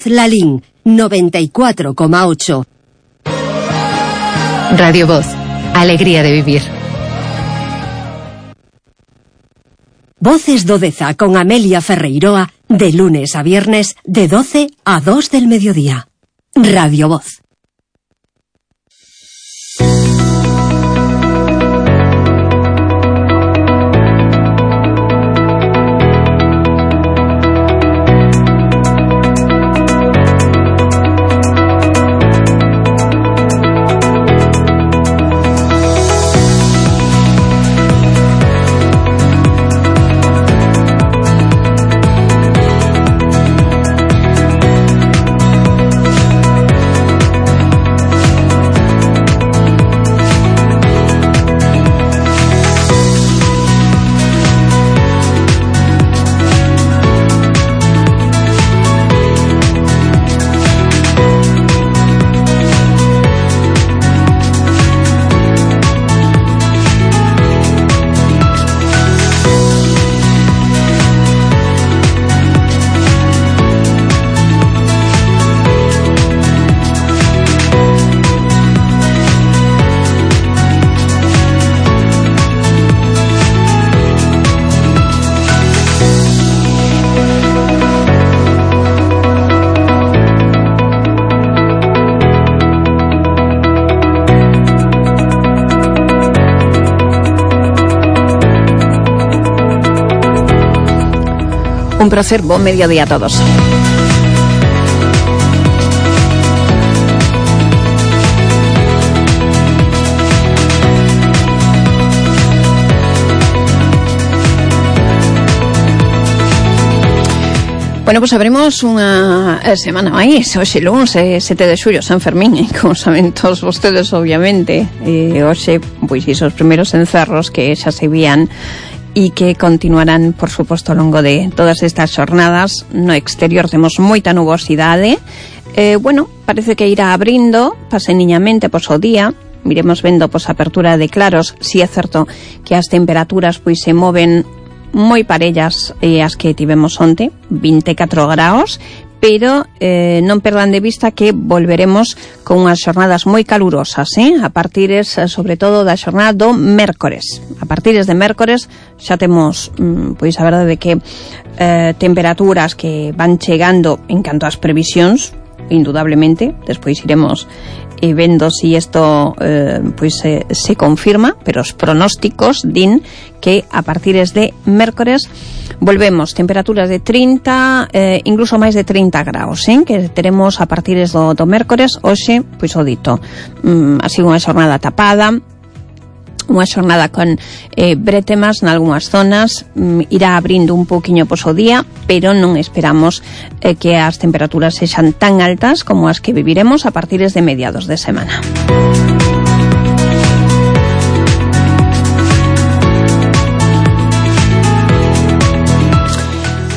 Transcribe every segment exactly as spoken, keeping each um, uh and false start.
Lalín, noventa y cuatro coma ocho. Radio Voz, alegría de vivir. Voces do Deza con Amelia Ferreiroa, de lunes a viernes, de doce a dos del mediodía. Radio Voz. Un placer, buen mediodía a todos. Bueno, pues abrimos unha semana máis. Hoxe luns, sete de xullo, San Fermín, e como saben todos vostedes, obviamente, e hoxe, pois, isos primeiros encerros que xa se vían e que continuarán, por suposto, ao longo de todas estas xornadas. No exterior temos moita nubosidade. Eh, bueno, parece que irá abrindo paseniñamente pois o día. Miremos vendo pois a apertura de claros. Si é certo que as temperaturas pois se moven moi parellas eh, as que tivemos onte, vinte e catro graus, pero eh, non perdan de vista que volveremos con unhas xornadas moi calurosas, eh? a partires, sobre todo, da xornada do mércores. A partires de mércores xa temos, mm, pois a verdade de que eh, temperaturas que van chegando en canto ás previsións, indudablemente, despois iremos e vendo si isto eh, pois se, se confirma, pero os pronósticos din que a partires de mércores volvemos temperaturas de trinta, eh, incluso máis de trinta graus, eh, que teremos a partires do, do mércores. Hoxe, pois o dito, mm, así unha xornada tapada, unha xornada con eh, bretemas nalgúnas zonas, mm, irá abrindo un pouquiño pois o día, pero non esperamos eh, que as temperaturas sexan tan altas como as que viviremos a partires de mediados de semana.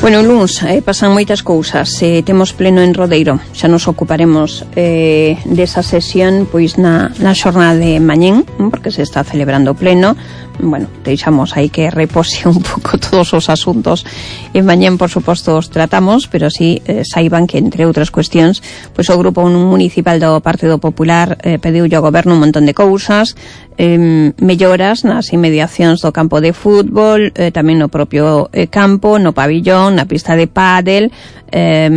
Bueno, luns, eh, pasan moitas cousas. Eh, temos pleno en Rodeiro. Xa nos ocuparemos eh, desa sesión pois na, na xornada de mañén, porque se está celebrando pleno. Bueno, deixamos aí que repose un pouco todos os asuntos. E mañén, por suposto, os tratamos, pero sí eh, saiban que, entre outras cuestións, pois o Grupo Municipal do Partido Popular eh, pediulle ao Goberno un montón de cousas, eh, melloras nas inmediacións do campo de fútbol, eh, tamén no propio eh, campo, no pabillón, na pista de pádel. Eh,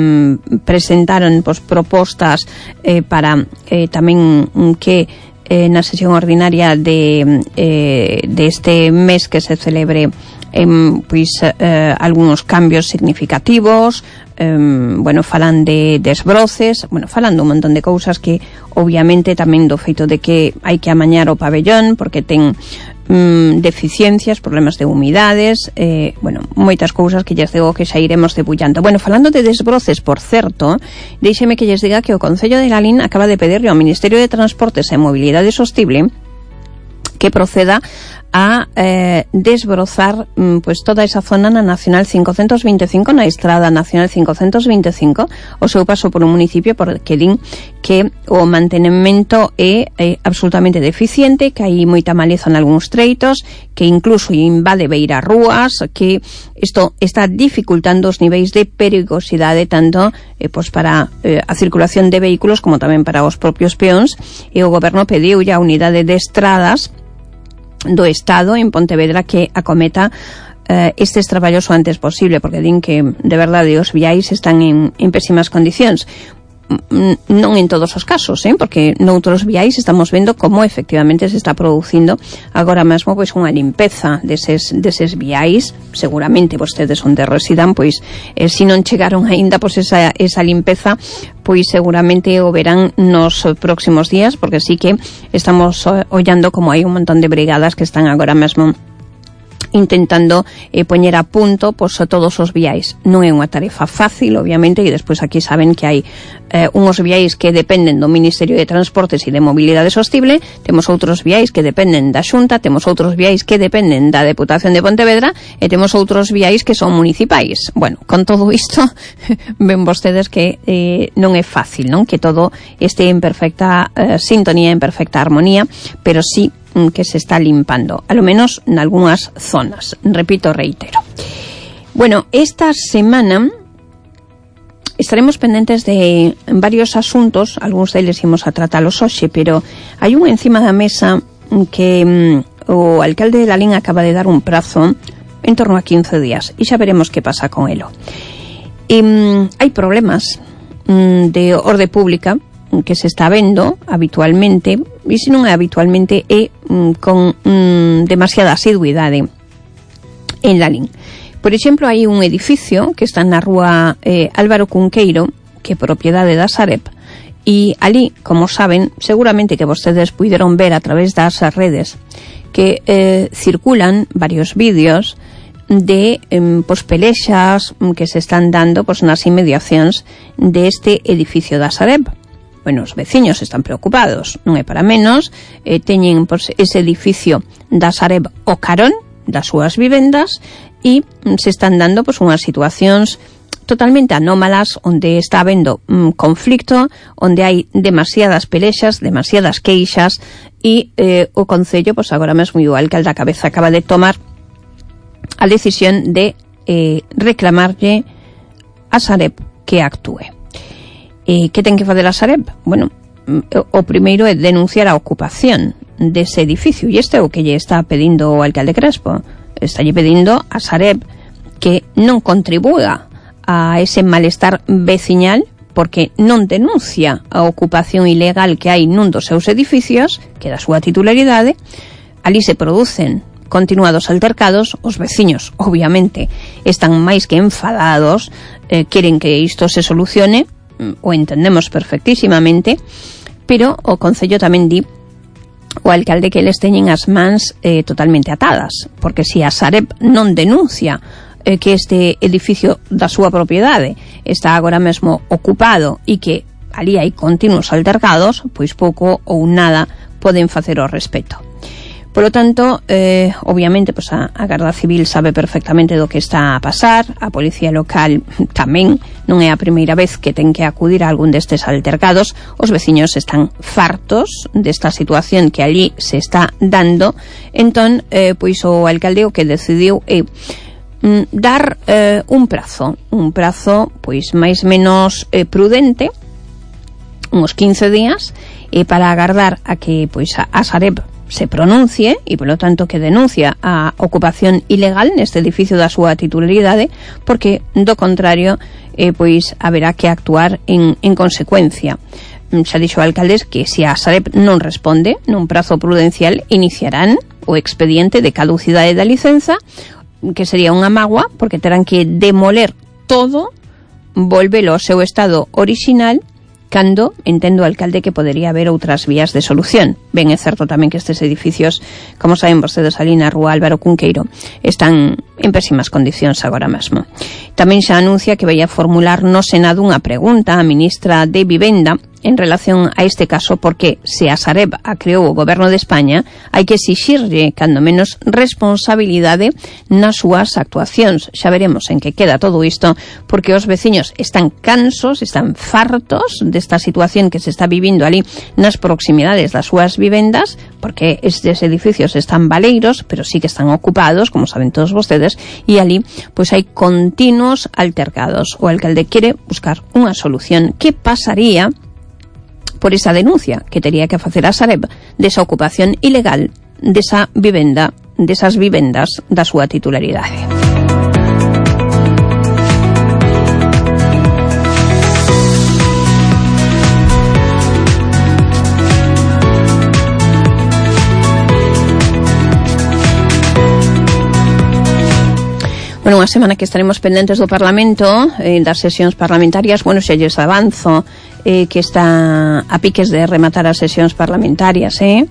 presentaron pois, propostas eh, para eh, tamén que eh, na sesión ordinaria de eh, deste mes que se celebre eh, pois eh, algúns cambios significativos. Um, bueno, falan de desbroces, bueno, falan dun montón de cousas que obviamente tamén do feito de que hai que amañar o pabellón porque ten um, deficiencias, problemas de humidades, eh, bueno, moitas cousas que lles digo que xa iremos debullando. Bueno, falando de desbroces, por certo, deixeme que lles diga que o Concello de Lalín acaba de pedirle ao Ministerio de Transportes e Mobilidade Sostible que proceda a eh, desbrozar mm, pues toda esa zona na Nacional cincocentos veinticinco, na Estrada Nacional cincocentos veinticinco, o seu paso polo municipio, porque din que o mantenimento é, é absolutamente deficiente, que hai moita maleza en algúns treitos, que incluso invade beira rúas, que isto está dificultando os niveis de perigosidade tanto eh, pues para eh, a circulación de vehículos como tamén para os propios peóns, e o goberno pediu ya a unidade de estradas do Estado en Pontevedra que acometa eh, estes traballos o antes posible, porque din que de verdade os viais están en, en pésimas condicións. Non en todos os casos, eh? Porque noutros viais estamos vendo como efectivamente se está producindo agora mesmo pois unha limpeza deses, deses viais. Seguramente vostedes onde residan, pois eh, se non chegaron aínda pois esa, esa limpeza, pois seguramente o verán nos próximos días, porque sí que estamos ollando como hai un montón de brigadas que están agora mesmo intentando eh, poñer a punto pois, a todos os viais. Non é unha tarefa fácil, obviamente, e despois aquí saben que hai eh, unhos viais que dependen do Ministerio de Transportes e de Mobilidade Sostible, temos outros viais que dependen da Xunta, temos outros viais que dependen da Deputación de Pontevedra e temos outros viais que son municipais. Bueno, con todo isto ven vostedes que eh, non é fácil, non? Que todo este en perfecta eh, sintonía, en perfecta armonía, pero sí que se está limpando, a lo menos en algunhas zonas. Repito, reitero. Bueno, esta semana estaremos pendentes de varios asuntos, algúns deles imos a tratalos hoxe, pero hai un encima da mesa que mm, o alcalde de Lalín acaba de dar un prazo en torno a quince días, e xa veremos que pasa con elo. E, mm, hai problemas mm, de orde pública que se está vendo habitualmente, e se non é habitualmente é mm, con mm, demasiada asiduidade en Lalín. Por exemplo, hai un edificio que está na rúa eh, Álvaro Cunqueiro, que é propiedade da Sareb, e ali, como saben, seguramente que vostedes puideron ver a través das redes que eh, circulan varios vídeos de eh, pues, pelexas que se están dando pues, nas inmediacións deste edificio da Sareb. Bueno, os veciños están preocupados, non é para menos, eh, teñen pues, ese edificio da Sareb o carón das súas vivendas e se están dando pues, unhas situacións totalmente anómalas onde está habendo un conflicto, onde hai demasiadas pelexas, demasiadas queixas e eh, o Concello, pues, agora mesmo o alcalde a cabeza acaba de tomar a decisión de eh, reclamarlle a Sareb que actúe. E que ten que fazer a Sareb? Bueno, o primeiro é denunciar a ocupación dese edificio, e este é o que lle está pedindo o alcalde Crespo. Está lle pedindo a Sareb que non contribúa a ese malestar veciñal porque non denuncia a ocupación ilegal que hai nun dos seus edificios, que é da súa titularidade. Ali se producen continuados altercados, os veciños, obviamente, están máis que enfadados, eh, queren que isto se solucione, o entendemos perfectísimamente, pero o Concello tamén di o alcalde que eles teñen as mans eh, totalmente atadas, porque se a Sareb non denuncia eh, que este edificio da súa propiedade está agora mesmo ocupado e que ali hai continuos altercados, pois pouco ou nada poden facer ao respecto. Polo tanto, eh, obviamente, pues a, a Garda Civil sabe perfectamente do que está a pasar, a Policía Local tamén, non é a primeira vez que ten que acudir a algún destes altercados, os veciños están fartos desta situación que allí se está dando, entón, eh, pois o alcalde o que decidiu é mm, dar eh, un prazo, un prazo, pois, máis menos eh, prudente, uns quince días, e para agardar a que, pois, a, a Sareb se pronuncie e, polo tanto, que denuncia a ocupación ilegal neste edificio da súa titularidade, porque, do contrario, eh, pois, haberá que actuar en, en consecuencia. Xa dixo o alcalde que se a Sareb non responde nun prazo prudencial, iniciarán o expediente de caducidade da licenza, que sería unha mágoa, porque terán que demoler todo, volvelo ao seu estado orixinal, cando entendo o alcalde que podería haber outras vías de solución. Ben, é certo tamén que estes edificios, como saben vostedes ali na rúa Álvaro Cunqueiro, están en pésimas condicións agora mesmo. Tamén xa anuncia que vai a formular no Senado unha pregunta á ministra de Vivenda en relación a este caso, porque se a Sareb a creou o Goberno de España, hai que exixirlle, cando menos, responsabilidade nas súas actuacións. Xa veremos en que queda todo isto, porque os veciños están cansos, están fartos desta situación que se está vivindo ali nas proximidades das súas vivendas, porque estes edificios están baleiros, pero sí que están ocupados, como saben todos vostedes, e ali pois hai continuos altercados. O alcalde quere buscar unha solución. Que pasaría por esa denuncia que tería que facer a Sareb desa ocupación ilegal desa vivenda, desas vivendas da súa titularidade? Bueno, unha semana que estaremos pendentes do Parlamento, eh, das sesións parlamentarias. Bueno, xa lles avanzo eh, que está a piques de rematar as sesións parlamentarias, eh,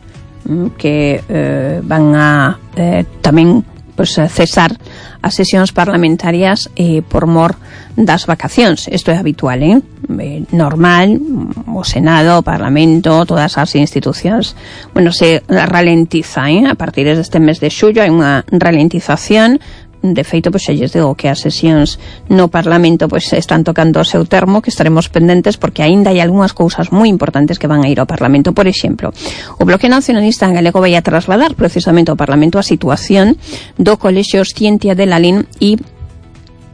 que eh, van a eh, tamén pues, cesar as sesións parlamentarias eh, por mor das vacacións. Isto é habitual, eh? eh normal, o Senado, o Parlamento, todas as institucións, bueno, se ralentiza, eh? A partir deste mes de xullo hai unha ralentización. De feito, pois xa lles digo que as sesións no Parlamento pois están tocando o seu termo, que estaremos pendentes porque aínda hai algunhas cousas moi importantes que van a ir ao Parlamento. Por exemplo, o Bloque Nacionalista en galego vai a trasladar precisamente ao Parlamento a situación do Colexio Scientia de Lalín e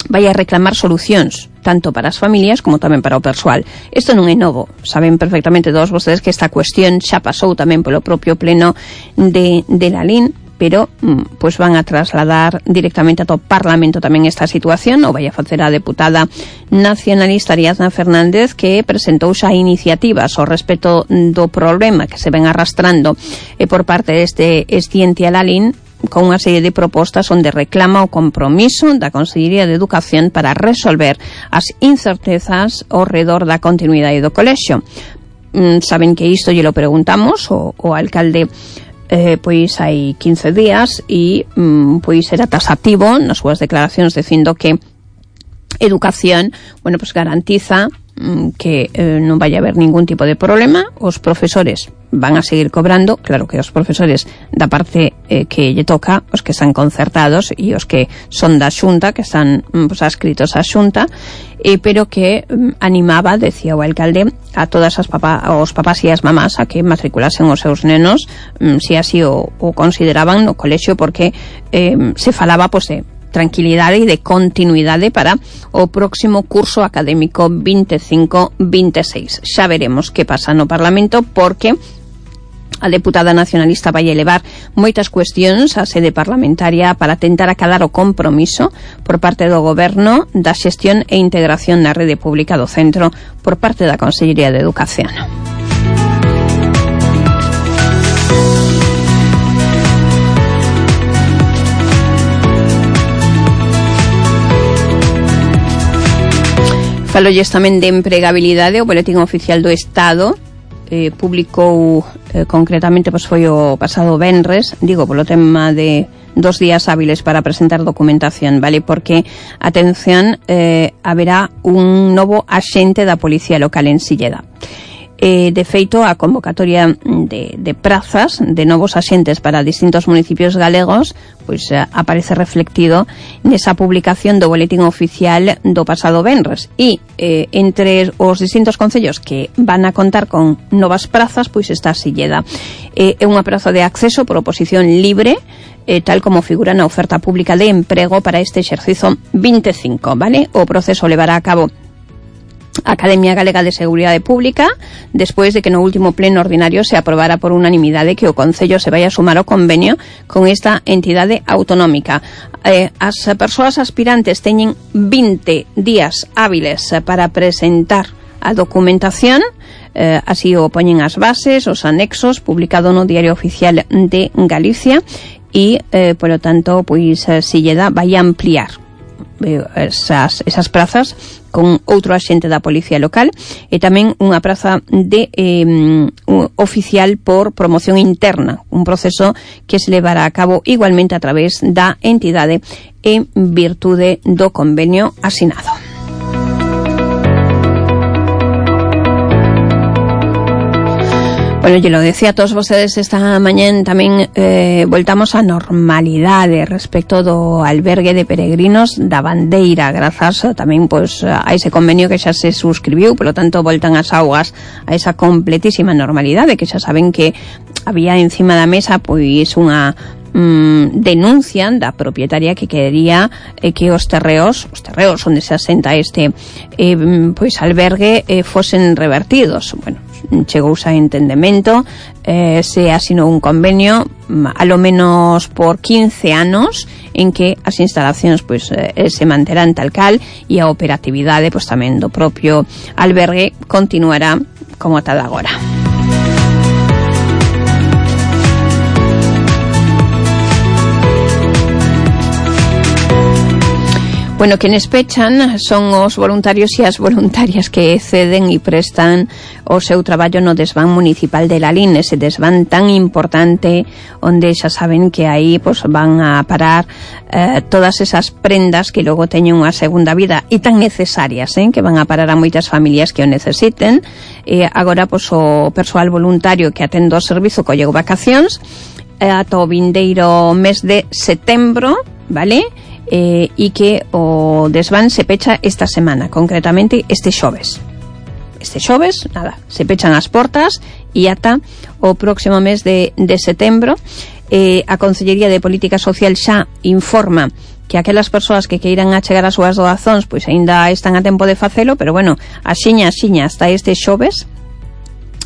vai a reclamar solucións tanto para as familias como tamén para o persoal. Isto non é novo. Saben perfectamente todos vostedes que esta cuestión xa pasou tamén polo propio pleno de, de Lalín, pero pois van a trasladar directamente ao Parlamento tamén esta situación. O vai a facer a deputada nacionalista Ariadna Fernández, que presentou xa iniciativas ao respecto do problema que se ven arrastrando e por parte deste Scientia Lalín, con unha serie de propostas onde reclama o compromiso da Consellería de Educación para resolver as incertezas ao redor da continuidade do colexio. Mm, saben que isto lle lo preguntamos o, o alcalde Eh, pois hai quince días e mm, pois era tasativo nas súas declaracións dicindo que educación, bueno, pois garantiza mm, que eh, non vai haber ningún tipo de problema. Os profesores van a seguir cobrando, claro que os profesores da parte eh, que lle toca, os que están concertados e os que son da Xunta, que están pues, adscritos á Xunta, eh, pero que mm, animaba, decía o alcalde, a todas as papá, os papás e as mamás a que matriculasen os seus nenos, mm, se así o, o consideraban no colexio, porque eh, se falaba pues, de tranquilidade e de continuidade para o próximo curso académico veinticinco veintiséis. Xa veremos que pasa no Parlamento, porque a deputada nacionalista vai elevar moitas cuestións á sede parlamentaria para tentar acalar o compromiso por parte do Goberno da xestión e integración na rede pública do centro por parte da Consellería de Educación. Falolles tamén de empregabilidade. O Boletín Oficial do Estado eh, publicou eh, concretamente, pois foi o pasado venres, digo, polo tema de dos días hábiles para presentar documentación, vale? Porque, atención, eh, haberá un novo axente da Policía Local en Silleda. Eh, de feito, a convocatoria de, de prazas de novos axentes para distintos municipios galegos pois eh, aparece reflectido nesa publicación do Boletín Oficial do pasado venres. E eh, entre os distintos concellos que van a contar con novas prazas, pois está Silleda. Eh, é unha praza de acceso por oposición libre, eh, tal como figura na oferta pública de emprego para este exercizo veinticinco, vale? O proceso levará a cabo a Academia Galega de Seguridade Pública, despois de que no último pleno ordinario se aprobara por unanimidade que o Concello se vai a sumar ao convenio con esta entidade autonómica. Eh, as persoas aspirantes teñen vinte días hábiles para presentar a documentación, eh, así o poñen as bases, os anexos, publicado no Diario Oficial de Galicia, e, eh, polo tanto, pois, Silleda vai a ampliar esas, esas prazas con outro axente da Policía Local e tamén unha praza de eh, oficial por promoción interna, un proceso que se levará a cabo igualmente a través da entidade en virtude do convenio asinado. Bueno, yo lo decía a todos vostedes esta mañá, tamén eh, voltamos á normalidade respecto do albergue de peregrinos da Bandeira, grazas tamén pois, a ese convenio que xa se suscribiu, polo tanto voltan as augas a esa completísima normalidade, que xa saben que había encima da mesa pois unha mm, denuncia da propietaria que quería eh, que os terreos, os terreos onde se asenta este eh, pois albergue eh, fosen revertidos. Bueno, chegouse a entendemento, eh, se asinou un convenio a lo menos por quince anos en que as instalacións pois, eh, se manterán tal cal e a operatividade pois, tamén do propio albergue continuará como tal agora. Bueno, quenes pechan son os voluntarios e as voluntarias que ceden e prestan o seu traballo no desván municipal de Lalín, ese desván tan importante onde xa saben que aí pues, van a parar eh, todas esas prendas que logo teñen unha segunda vida e tan necesarias, eh, que van a parar a moitas familias que o necesiten. E agora pues, o persoal voluntario que atende o servizo colleu vacacións eh, ata o vindeiro mes de setembro, vale? Eh, e que o desván se pecha esta semana, concretamente este xoves. Este xoves, nada, se pechan as portas e ata o próximo mes de, de setembro. Eh, a Consellería de Política Social xa informa que aquelas persoas que queiran achegar as súas doazóns pois aínda están a tempo de facelo, pero bueno, axiña, axiña, hasta este xoves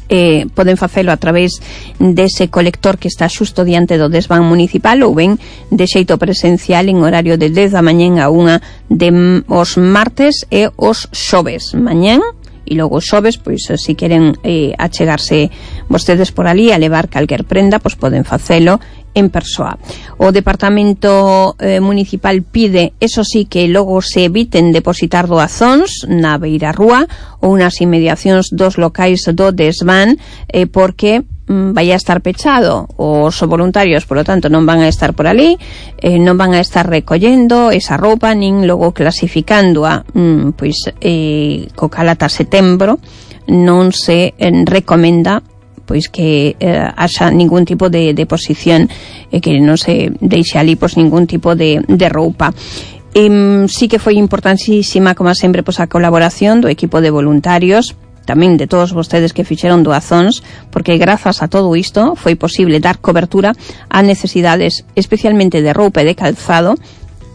Eh, poden facelo a través dese colector que está xusto diante do desván municipal ou ben de xeito presencial en horario de dez da mañén a unha de os martes e os xoves mañén, e logo os xoves, pois se queren eh, achegarse vostedes por ali a levar calquer prenda, pois poden facelo en persoa. O Departamento eh, Municipal pide, eso sí, que logo se eviten depositar doazóns na beira rúa ou nas inmediacións dos locais do desván, eh, porque mm, vai a estar pechado. Os voluntarios, por lo tanto, non van a estar por ali, eh, non van a estar recollendo esa roupa, nin logo clasificándoa, mm, pois, eh, co cal ata setembro non se eh, recomenda pois que eh, haxa ningún tipo de deposición, eh, que non se deixe ali pois ningún tipo de, de roupa. E, sí que foi importantísima, como sempre, pois a colaboración do equipo de voluntarios, tamén de todos vostedes que fixeron doazóns, porque grazas a todo isto foi posible dar cobertura a necesidades especialmente de roupa e de calzado.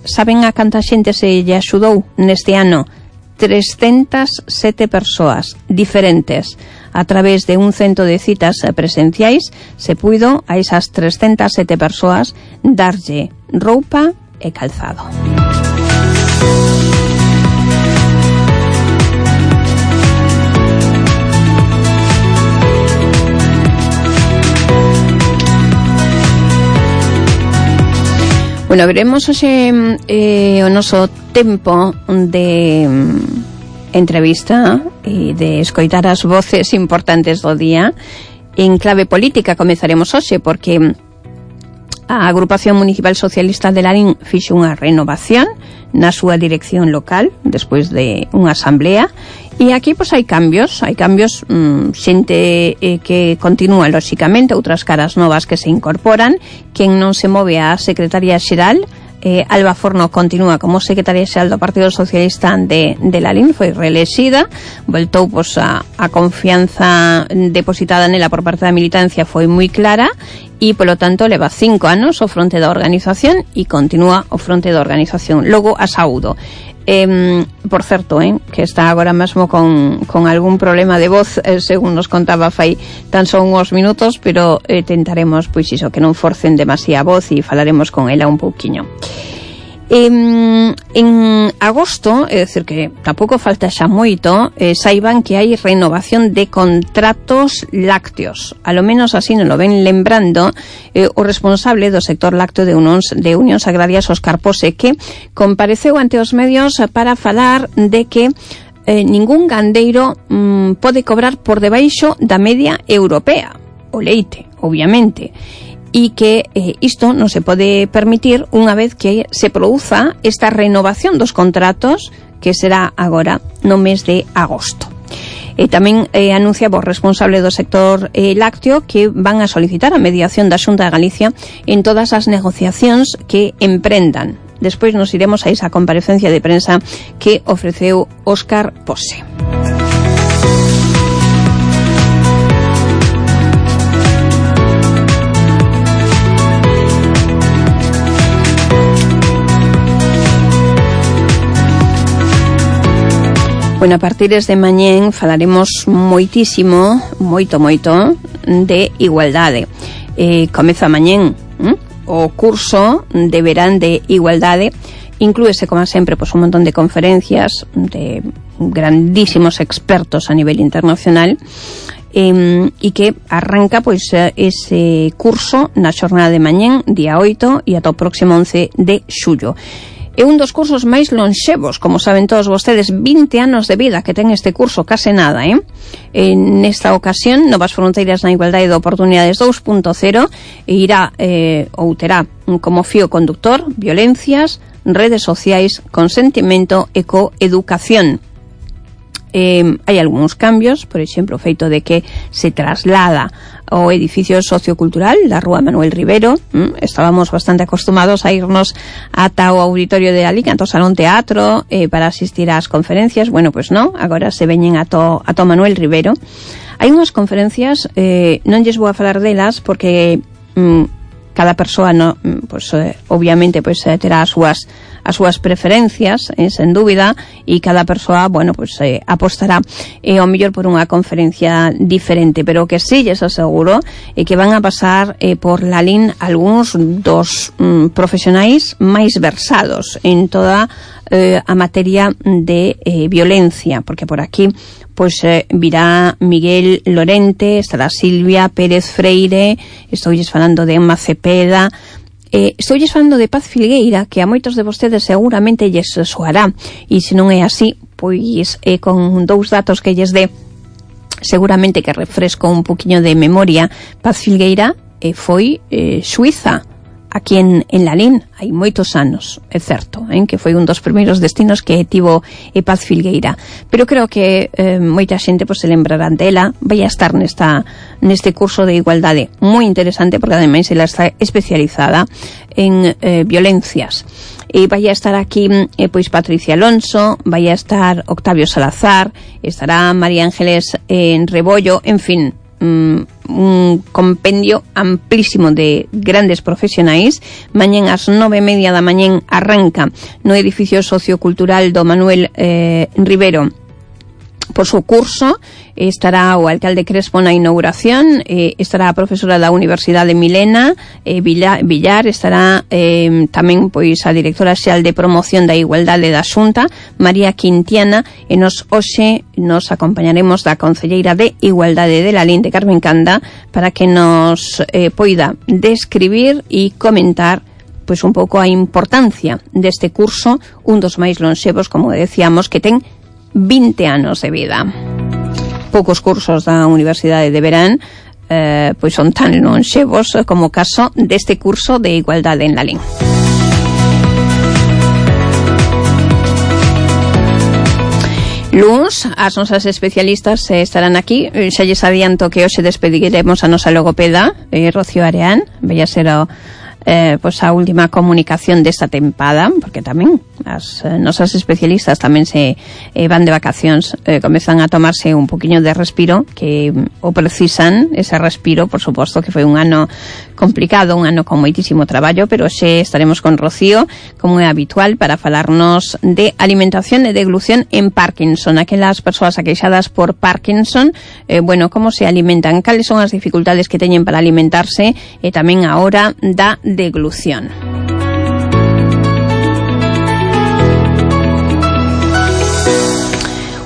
Saben a canta xente se lle axudou neste ano? trescentas sete persoas diferentes. A través de un cento de citas presenciais se puido a esas trescentas sete persoas darlle roupa e calzado. Bueno, veremos hoxe eh, o noso tempo de mm, entrevista e de escoitar as voces importantes do día. En clave política comezaremos hoxe porque a Agrupación Municipal Socialista de Lalín fixe unha renovación na súa dirección local despois de unha asamblea. E aquí, pois, hai cambios, hai cambios, mmm, xente eh, que continúa, lóxicamente, outras caras novas que se incorporan. Quen non se move a Secretaría Xeral, eh, Alba Forno continúa como Secretaría Xeral do Partido Socialista de, de Lalín, foi reelexida, voltou, pois, a, a confianza depositada nela por parte da militancia foi moi clara, e, polo tanto, leva cinco anos o fronte da organización e continúa o fronte da organización. Logo, a Saúdo. Eh, por certo, eh, que está agora mesmo con, con algún problema de voz, eh, según nos contaba fai tan só uns minutos, pero eh, tentaremos, pois iso, que non forcen demasiada voz e falaremos con ela un pouquiño. En, en agosto, é dicir que tampouco falta xa moito, eh, saiban que hai renovación de contratos lácteos. A lo menos así non lo ven lembrando eh, o responsable do sector lácteo de Unións, de Unións Agrarias, Óscar Pose, que compareceu ante os medios para falar de que eh, ningún gandeiro mm, pode cobrar por debaixo da media europea. O leite, obviamente. E que eh, isto non se pode permitir unha vez que se produza esta renovación dos contratos que será agora no mes de agosto. E tamén eh, anuncia o responsable do sector eh, lácteo que van a solicitar a mediación da Xunta de Galicia en todas as negociacións que emprendan. Despois nos iremos a esa comparecencia de prensa que ofreceu Óscar Pose. Bueno, a partir de mañén falaremos moitísimo, moito, moito, de igualdade. Eh, comeza mañén hm? o curso de verán de igualdade. Inclúese, como sempre, pues, un montón de conferencias de grandísimos expertos a nivel internacional eh, e que arranca pois ese curso na xornada de mañén, día oito, e ata o próximo once de xullo. É un dos cursos máis lonxevos, como saben todos vostedes, vinte anos de vida que ten este curso, case nada, eh? En esta ocasión, Novas Fronteiras na Igualdade de Oportunidades dos punto cero, e irá, eh, ou terá como fío conductor, violencias, redes sociais, consentimento e coeducación. Eh, hai algúns cambios, por exemplo, o feito de que se traslada ao edificio sociocultural da Rúa Manuel Rivero. mm, estábamos bastante acostumados a irnos ata o auditorio de Alicante, ao Salón Teatro, eh, para asistir ás conferencias. Bueno, pois pues non, agora se veñen ato, ato Manuel Rivero. Hai unhas conferencias, eh, non lles vou a falar delas porque mm, cada persoa no, pues, eh, obviamente pues, eh, terá as súas as súas preferencias, eh, sen dúbida, e cada persoa, bueno, pues eh, apostará eh, ao mellor por unha conferencia diferente, pero o que sí lles aseguro é eh, que van a pasar eh, por Lalín algúns dos mm, profesionais máis versados en toda eh, a materia de eh, violencia, porque por aquí pois eh, virá Miguel Lorente, estará Silvia Pérez Freire, estoulles falando de Emma Cepeda. Eh, estoulles falando de Paz Filgueira, que a moitos de vostedes seguramente lles soará, e se non é así, pois eh, con dous datos que lles dé, seguramente que refresco un poquinho de memoria. Paz Filgueira eh, foi eh, suiza aquí en, en Lalín hai moitos anos, é certo, eh, que foi un dos primeiros destinos que tivo eh, Paz Filgueira, pero creo que eh, moita xente pues, se lembrarán dela. Vai a estar nesta, neste curso de igualdade moi interesante, porque ademais ela está especializada en eh, violencias. E vai a estar aquí eh, pois Patricia Alonso, vai a estar Octavio Salazar, estará María Ángeles en eh, Rebollo, en fin, un compendio amplísimo de grandes profesionais. Mañén ás nove e media da mañén arranca no edificio sociocultural do Manuel eh, Rivero por su curso. Estará o alcalde Crespo na inauguración, eh, estará a profesora da Universidade Milena eh, Villar, Villar, estará eh, tamén pois a directora xeral de promoción da igualdade da Xunta, María Quintiana, e nos hoxe nos acompañaremos da concelleira de Igualdade de Lalín, de Carmen Canda, para que nos eh, poida describir e comentar pois un pouco a importancia deste curso, un dos máis lonxevos, como decíamos, que ten vinte anos de vida. Poucos cursos da Universidade de Verán eh, pois son tan lonxevos como o caso deste curso de igualdade en Lalín. Luns, as nosas especialistas eh, estarán aquí. Xa lles adianto que hoxe despediremos a nosa logopeda, eh, Rocío Areán. Vai a ser o Eh, pois a última comunicación desta tempada, porque tamén as eh, nosas especialistas tamén se eh, van de vacacións, eh, comezan a tomarse un poquinho de respiro, que mm, o precisan ese respiro, por suposto que foi un ano complicado, un ano con moitísimo traballo, pero xe estaremos con Rocío, como é habitual, para falarnos de alimentación e deglución en Parkinson. Aquelas persoas aqueixadas por Parkinson, eh, bueno, como se alimentan, cales son as dificultades que teñen para alimentarse, e tamén a hora da deglución.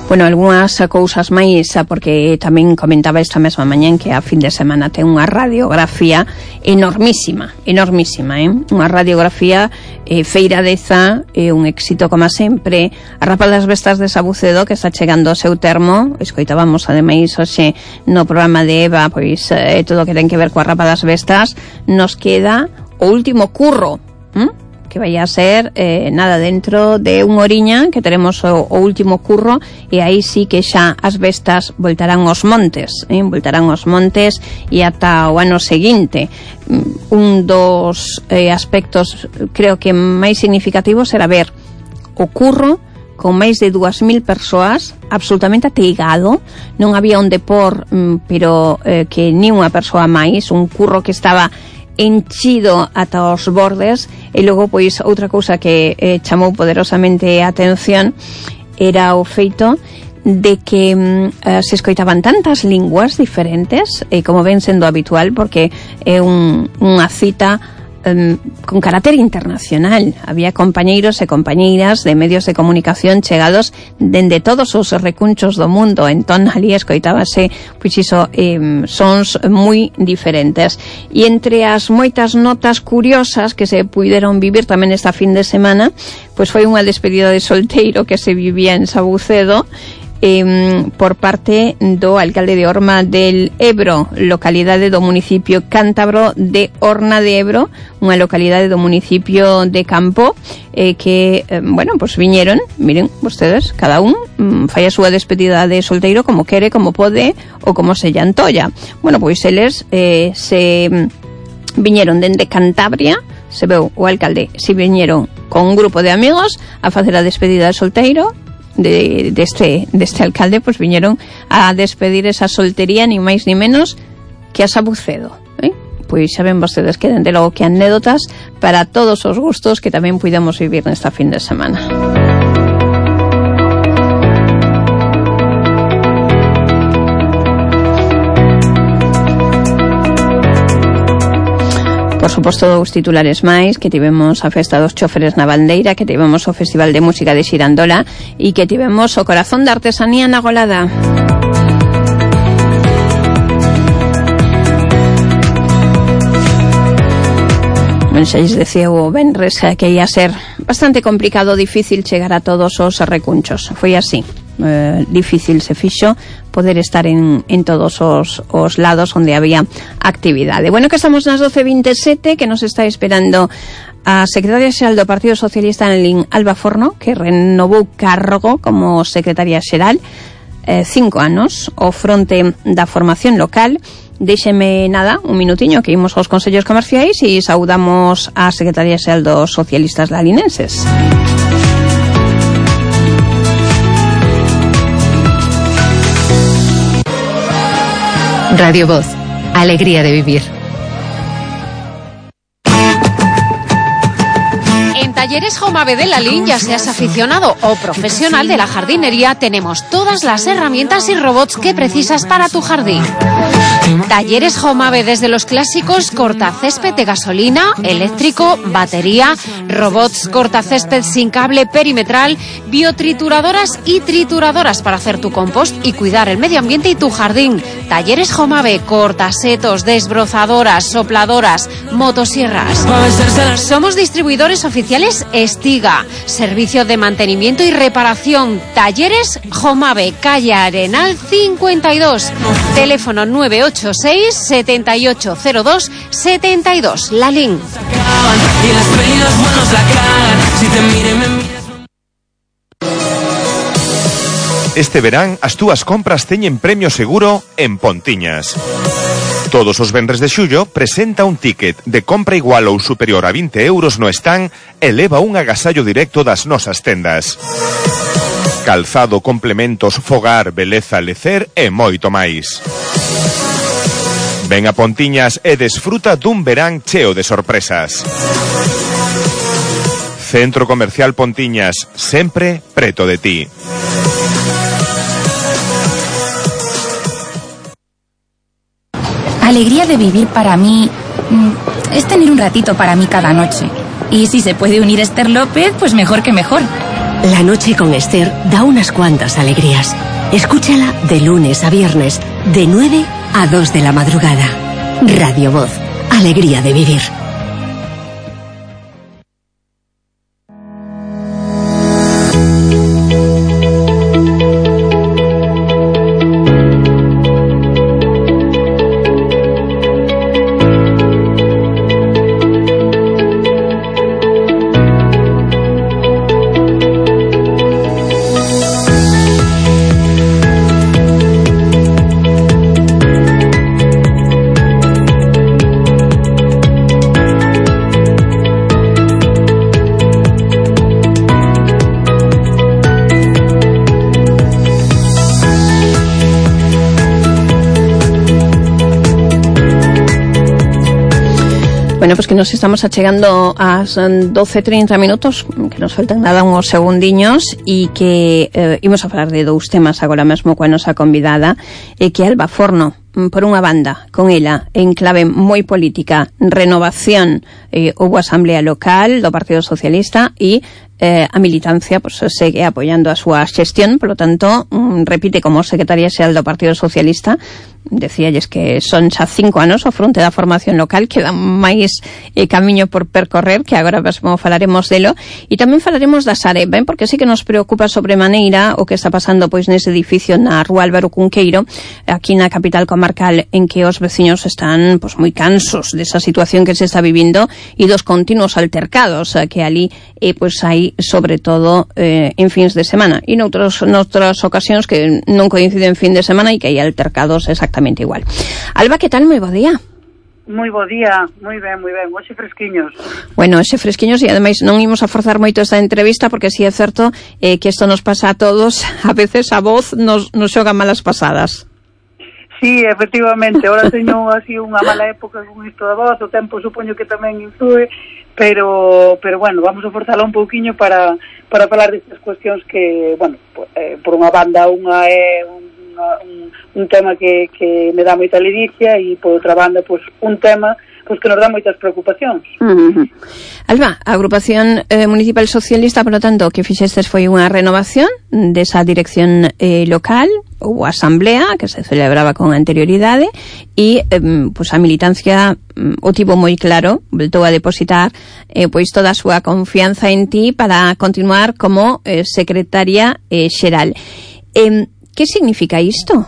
Bueno, algunhas cousas máis, porque tamén comentaba esta mesma mañán que a fin de semana ten unha radiografía enormísima, enormísima, eh? Unha radiografía eh, feiradeza, eh, un éxito como sempre. A Rapa das Bestas de Sabucedo, que está chegando ao seu termo, escoitábamos ademais hoxe no programa de Eva, pois eh, todo o que ten que ver coa Rapa das Bestas, nos queda o último curro, ¿m? que vai a ser eh, nada dentro de unha oriña que teremos o, o último curro, e aí sí que xa as bestas voltarán aos montes, eh? voltarán aos montes e ata o ano seguinte. Un dos eh, aspectos creo que máis significativos era ver o curro con máis de dúas mil persoas absolutamente ateigado, non había onde por, pero eh, que ni unha persoa máis, un curro que estaba enchido ata os bordes. E logo, pois, outra cousa que eh, chamou poderosamente a atención era o feito de que eh, se escoitaban tantas linguas diferentes, e eh, como ven sendo habitual, porque é un, unha cita Um, con carácter internacional. Había compañeiros e compañeiras de medios de comunicación chegados dende todos os recunchos do mundo, entón ali escoitábase pois iso, eh, sons moi diferentes. E entre as moitas notas curiosas que se puideron vivir tamén esta fin de semana, pois foi unha despedida de solteiro que se vivía en Sabucedo, Eh, por parte do alcalde de Orma del Ebro, localidade do municipio cántabro de Horna de Ebro, unha localidade do municipio de Campo, eh, que, eh, bueno, pues viñeron, miren, vostedes, cada un mm, fai a súa despedida de solteiro como quere, como pode, ou como se lle antolla. Bueno, pois eles eh, se mm, viñeron dende Cantabria, se veu o alcalde, se viñeron con un grupo de amigos a facer a despedida de solteiro, de deste de deste alcalde, pois pues viñeron a despedir esa soltería ni máis ni menos que a Sabucedo, eh? Pois xa ven vostedes que dende logo que anécdotas para todos os gustos que tamén puidemos vivir nesta fin de semana. Por suposto, os titulares máis, que tivemos a festa dos choferes na Bandeira, que tivemos o Festival de Música de Xirandola e que tivemos o Corazón da Artesanía na Golada. Ben, xa lles decía o venres que ia ser bastante complicado, difícil chegar a todos os recunchos. Foi así. Eh, difícil se fixo poder estar en, en todos os, os lados onde había actividade. Bueno, que estamos nas doce e veintesete, que nos está esperando a secretaria xeral do Partido Socialista en Lin, Alba Forno, que renovou cargo como secretaria xeral, eh, cinco anos ao fronte da formación local. Déxeme nada, un minutiño que imos aos consellos comerciais e saudamos a secretaria xeral dos socialistas lalinenses. Radio Voz, alegría de vivir. En Talleres Jomave de Lalín, ya seas aficionado o profesional de la jardinería, tenemos todas las herramientas y robots que precisas para tu jardín. Talleres Jomave, desde los clásicos cortacésped de gasolina, eléctrico, batería, robots cortacésped sin cable perimetral, biotrituradoras y trituradoras para hacer tu compost y cuidar el medio ambiente y tu jardín. Talleres Jomave, cortasetos, desbrozadoras, sopladoras, motosierras. Somos distribuidores oficiales Estiga, servicio de mantenimiento y reparación. Talleres Jomave, calle Arenal cincuenta y dos, teléfono nueve ocho seis, siete ocho cero dos, siete dos, Lalín. Este verán as túas compras teñen premio seguro en Pontiñas. Todos os venres de xullo presenta un ticket de compra igual ou superior a vinte euros no stand e leva un agasallo directo das nosas tendas. Calzado, complementos, fogar, beleza, lecer e moito máis. Ven a Pontiñas e desfruta dun verán cheo de sorpresas. Centro Comercial Pontiñas, sempre preto de ti. Alegría de vivir para mí es tener un ratito para mí cada noche. Y si se puede unir Esther López, pues mejor que mejor. La noche con Esther da unas cuantas alegrías. Escúchala de lunes a viernes, de nueve a dos de la madrugada. Radio Voz, alegría de vivir. Bueno, pues que nos estamos achegando ás doce e trinta minutos, que nos faltan nada uns segundiños, e que eh, imos a falar de dous temas agora mesmo coa nosa convidada, e que Alba Forno, por unha banda, con ela, en clave moi política, renovación, eh, houbo asamblea local do Partido Socialista e eh, a militancia pues, segue apoiando a súa xestión, polo tanto, mm, repite como secretaria xeral do Partido Socialista. Decíalles que son xa cinco anos ao fronte da formación local, queda máis eh, camiño por percorrer, que agora mesmo falaremos delo, e tamén falaremos da Sareb, ben? Porque sí que nos preocupa sobremaneira o que está pasando pois nese edificio na Rúa Álvaro Cunqueiro, aquí na capital comarcal, en que os veciños están pois moi cansos desa situación que se está vivindo e dos continuos altercados que ali eh, pois hai, sobre todo eh, en fins de semana, e noutros, noutras ocasións que non coinciden fin de semana e que hai altercados exactamente igual. Alba, que tal? Moi bo día. Moi bo día, moi ben, moi ben, hoxe fresquiños. Bueno, hoxe fresquiños, e ademais non imos a forzar moito esta entrevista, porque si é certo eh, que isto nos pasa a todos, a veces a voz nos, nos xoga malas pasadas. Sí, efectivamente, ahora teño así unha mala época con isto da voz, o tempo supoño que tamén influe, pero pero bueno, vamos a forzala un pouquiño para para falar destas cuestións que, bueno, eh, por unha banda unha é unha, un, un tema que, que me dá moita ledicia, e por outra banda, pues, un tema pues, que nos dá moitas preocupacións. Uh-huh. Alba, a agrupación eh, municipal socialista, por lo tanto, que fixestes foi unha renovación desa dirección eh, local, ou asamblea, que se celebraba con anterioridade, e eh, pues, a militancia mm, o tivo moi claro, voltou a depositar eh, pois toda a súa confianza en ti para continuar como eh, secretaria eh, xeral. Eh, que significa isto?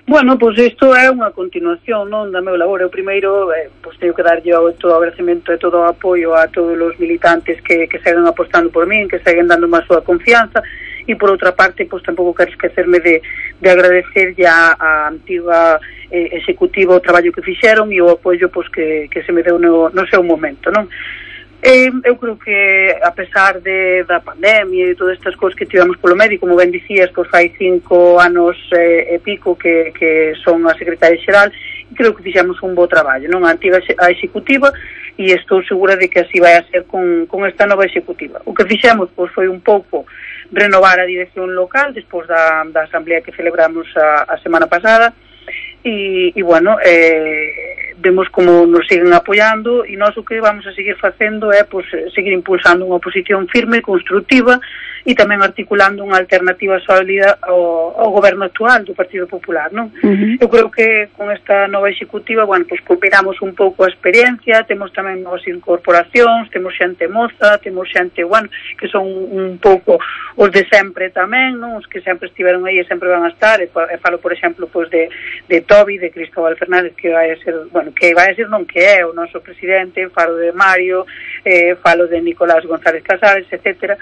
Bueno, pois pues isto é unha continuación, non, da meu labor. Eu primeiro, eh, pois teño que darlle todo o agradecemento e todo o apoio a todos os militantes que, que seguen apostando por min, que seguen dando má súa confianza, e por outra parte, pois tampouco quero esquecerme de, de agradecer ya a antiga eh, executiva o traballo que fixeron e o apoio pois que, que se me deu no, no seu momento, non? Eh, eu creo que a pesar de, da pandemia e todas estas cousas que tivemos polo medio, como ben dicías, pois fai cinco anos eh, e pico que, que son a secretaria xeral, e creo que fixemos un bo traballo, non? A antiga a executiva, e estou segura de que así vai a ser con, con esta nova executiva. O que fixemos pois foi un pouco renovar a dirección local despois da, da asamblea que celebramos a, a semana pasada, e, e bueno, eh, vemos como nos siguen apoiando, e nós o que vamos a seguir facendo é pues, seguir impulsando unha oposición firme, constructiva, e tamén articulando unha alternativa sólida ao, ao goberno actual do Partido Popular, non? Uh-huh. Eu creo que con esta nova executiva, bueno, pues cooperamos un pouco a experiencia, temos tamén novas incorporacións, temos xente moza, temos xente, bueno, que son un pouco os de sempre tamén, non? Os que sempre estiveron aí e sempre van a estar, e, e falo, por exemplo, pues de, de Tobi, de Cristóbal Fernández, que vai a ser, bueno, que vai a ser non que é o noso presidente, falo de Mario, eh, falo de Nicolás González Casares, etcétera.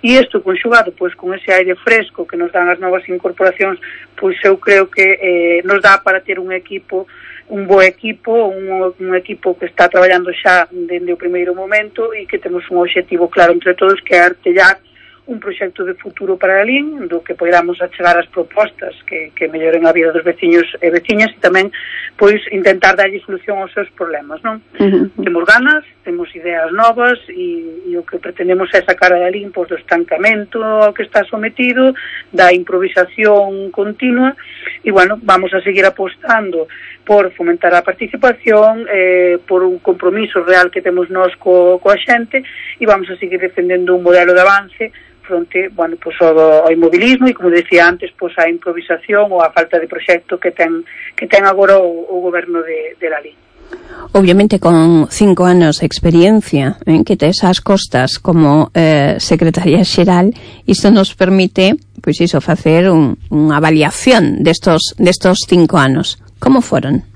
E isto conxugado pois con ese aire fresco que nos dan as novas incorporacións, pois eu creo que eh, nos dá para ter un equipo, un bo equipo, un, un equipo que está traballando xa dende o primeiro momento, e que temos un obxectivo claro entre todos, que é artellar un proxecto de futuro para a Lalín, do que podamos achegar as propostas que, que melloren a vida dos veciños e veciñas, e tamén pois intentar darlle solución aos seus problemas, non? Uh-huh. Temos ganas, temos ideas novas, e, e o que pretendemos é sacar a Lalín pois, do estancamento ao que está sometido, da improvisación continua, e bueno, vamos a seguir apostando por fomentar a participación, eh, por un compromiso real que temos nós co, coa xente, e vamos a seguir defendendo un modelo de avance fronte, bueno, pues ao, ao inmobilismo e, como decía antes, pues a improvisación ou a falta de proxecto que ten que ten agora o, o goberno de, de Lalín. Obviamente con cinco anos de experiencia en que tes as costas como eh, secretaria xeral, isto nos permite, pois iso, facer un, unha avaliación destos, destos cinco anos. Como foron?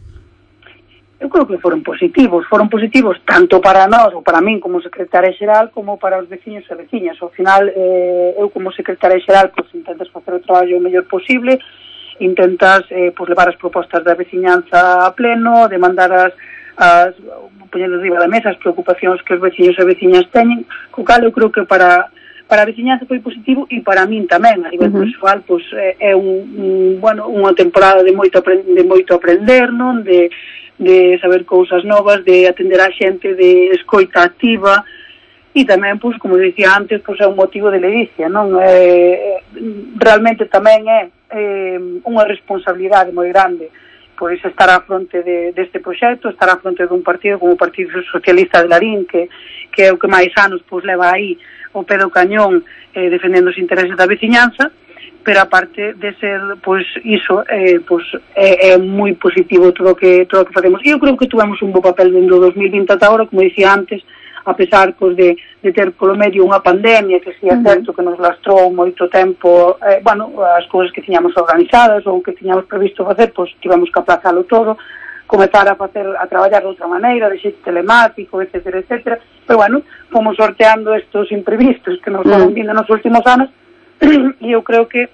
Eu creo que foron positivos, foron positivos tanto para nós, ou para min como secretaria xeral, como para os veciños e veciñas. Ao final, eh, eu como secretaria xeral, pois intentas facer o traballo o mellor posible, intentas eh, pois, levar as propostas da veciñanza a pleno, demandar as, as poñendo riba da mesa as preocupacións que os veciños e veciñas teñen, co cal eu creo que para para a veciñanza foi positivo, e para min tamén, a nivel uh-huh. persoal, pois é un, un bueno, unha temporada de moito aprender, de moito aprender, non? De de saber cousas novas, de atender a xente, de escoita activa, e tamén, pois, como dicía antes, pois é un motivo de ledicia, non? Eh, realmente tamén é eh, unha responsabilidade moi grande, pois estar á fronte de, deste proxecto, estar á fronte dun partido como o Partido Socialista de Larín, que, que é o que máis anos pois leva aí o pé do cañón eh, defendendo os intereses da veciñanza, pero aparte de ser, pois, iso, eh, pois, é, é moi positivo todo o que, todo o que facemos. E eu creo que tuvemos un bo papel dentro do dos mil vinte ata agora, como dicía antes, a pesar pois, de, de ter polo medio unha pandemia que si é certo que nos lastrou moito tempo, eh, bueno, as cousas que tiñamos organizadas ou que tiñamos previsto facer, pois tivemos que aplazalo todo, comezar a facer, a traballar de outra maneira, de xeito telemático, etcétera, etcétera, pero bueno, fomos sorteando estos imprevistos que nos foron vindo nos últimos anos e eu creo que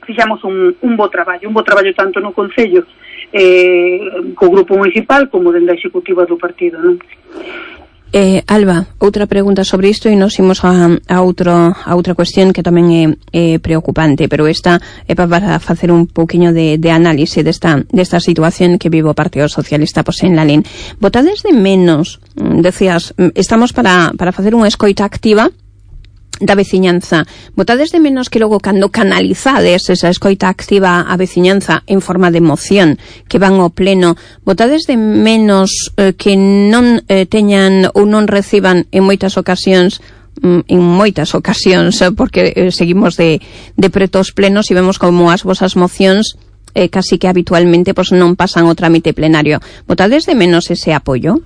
fixamos un, un bo traballo, un bo traballo tanto no Concello eh, co Grupo Municipal como dentro da Executiva do partido, non? Eh, Alba, outra pregunta sobre isto e nos imos a, a, outro, a outra cuestión que tamén é, é preocupante, pero esta é para facer un pouquiño de, de análise desta, desta situación que vive o Partido Socialista pois, en Lalín. Votades de menos, decías, estamos para, para facer unha escoita activa da veciñanza. Votades de menos que logo cando canalizades esa escoita activa á veciñanza en forma de moción que van ao pleno, votades de menos eh, que non eh, teñan ou non reciban en moitas ocasións en moitas ocasións porque eh, seguimos de, de preto os plenos e vemos como as vosas mocións eh, casi que habitualmente pues, non pasan o trámite plenario. Votades de menos ese apoio?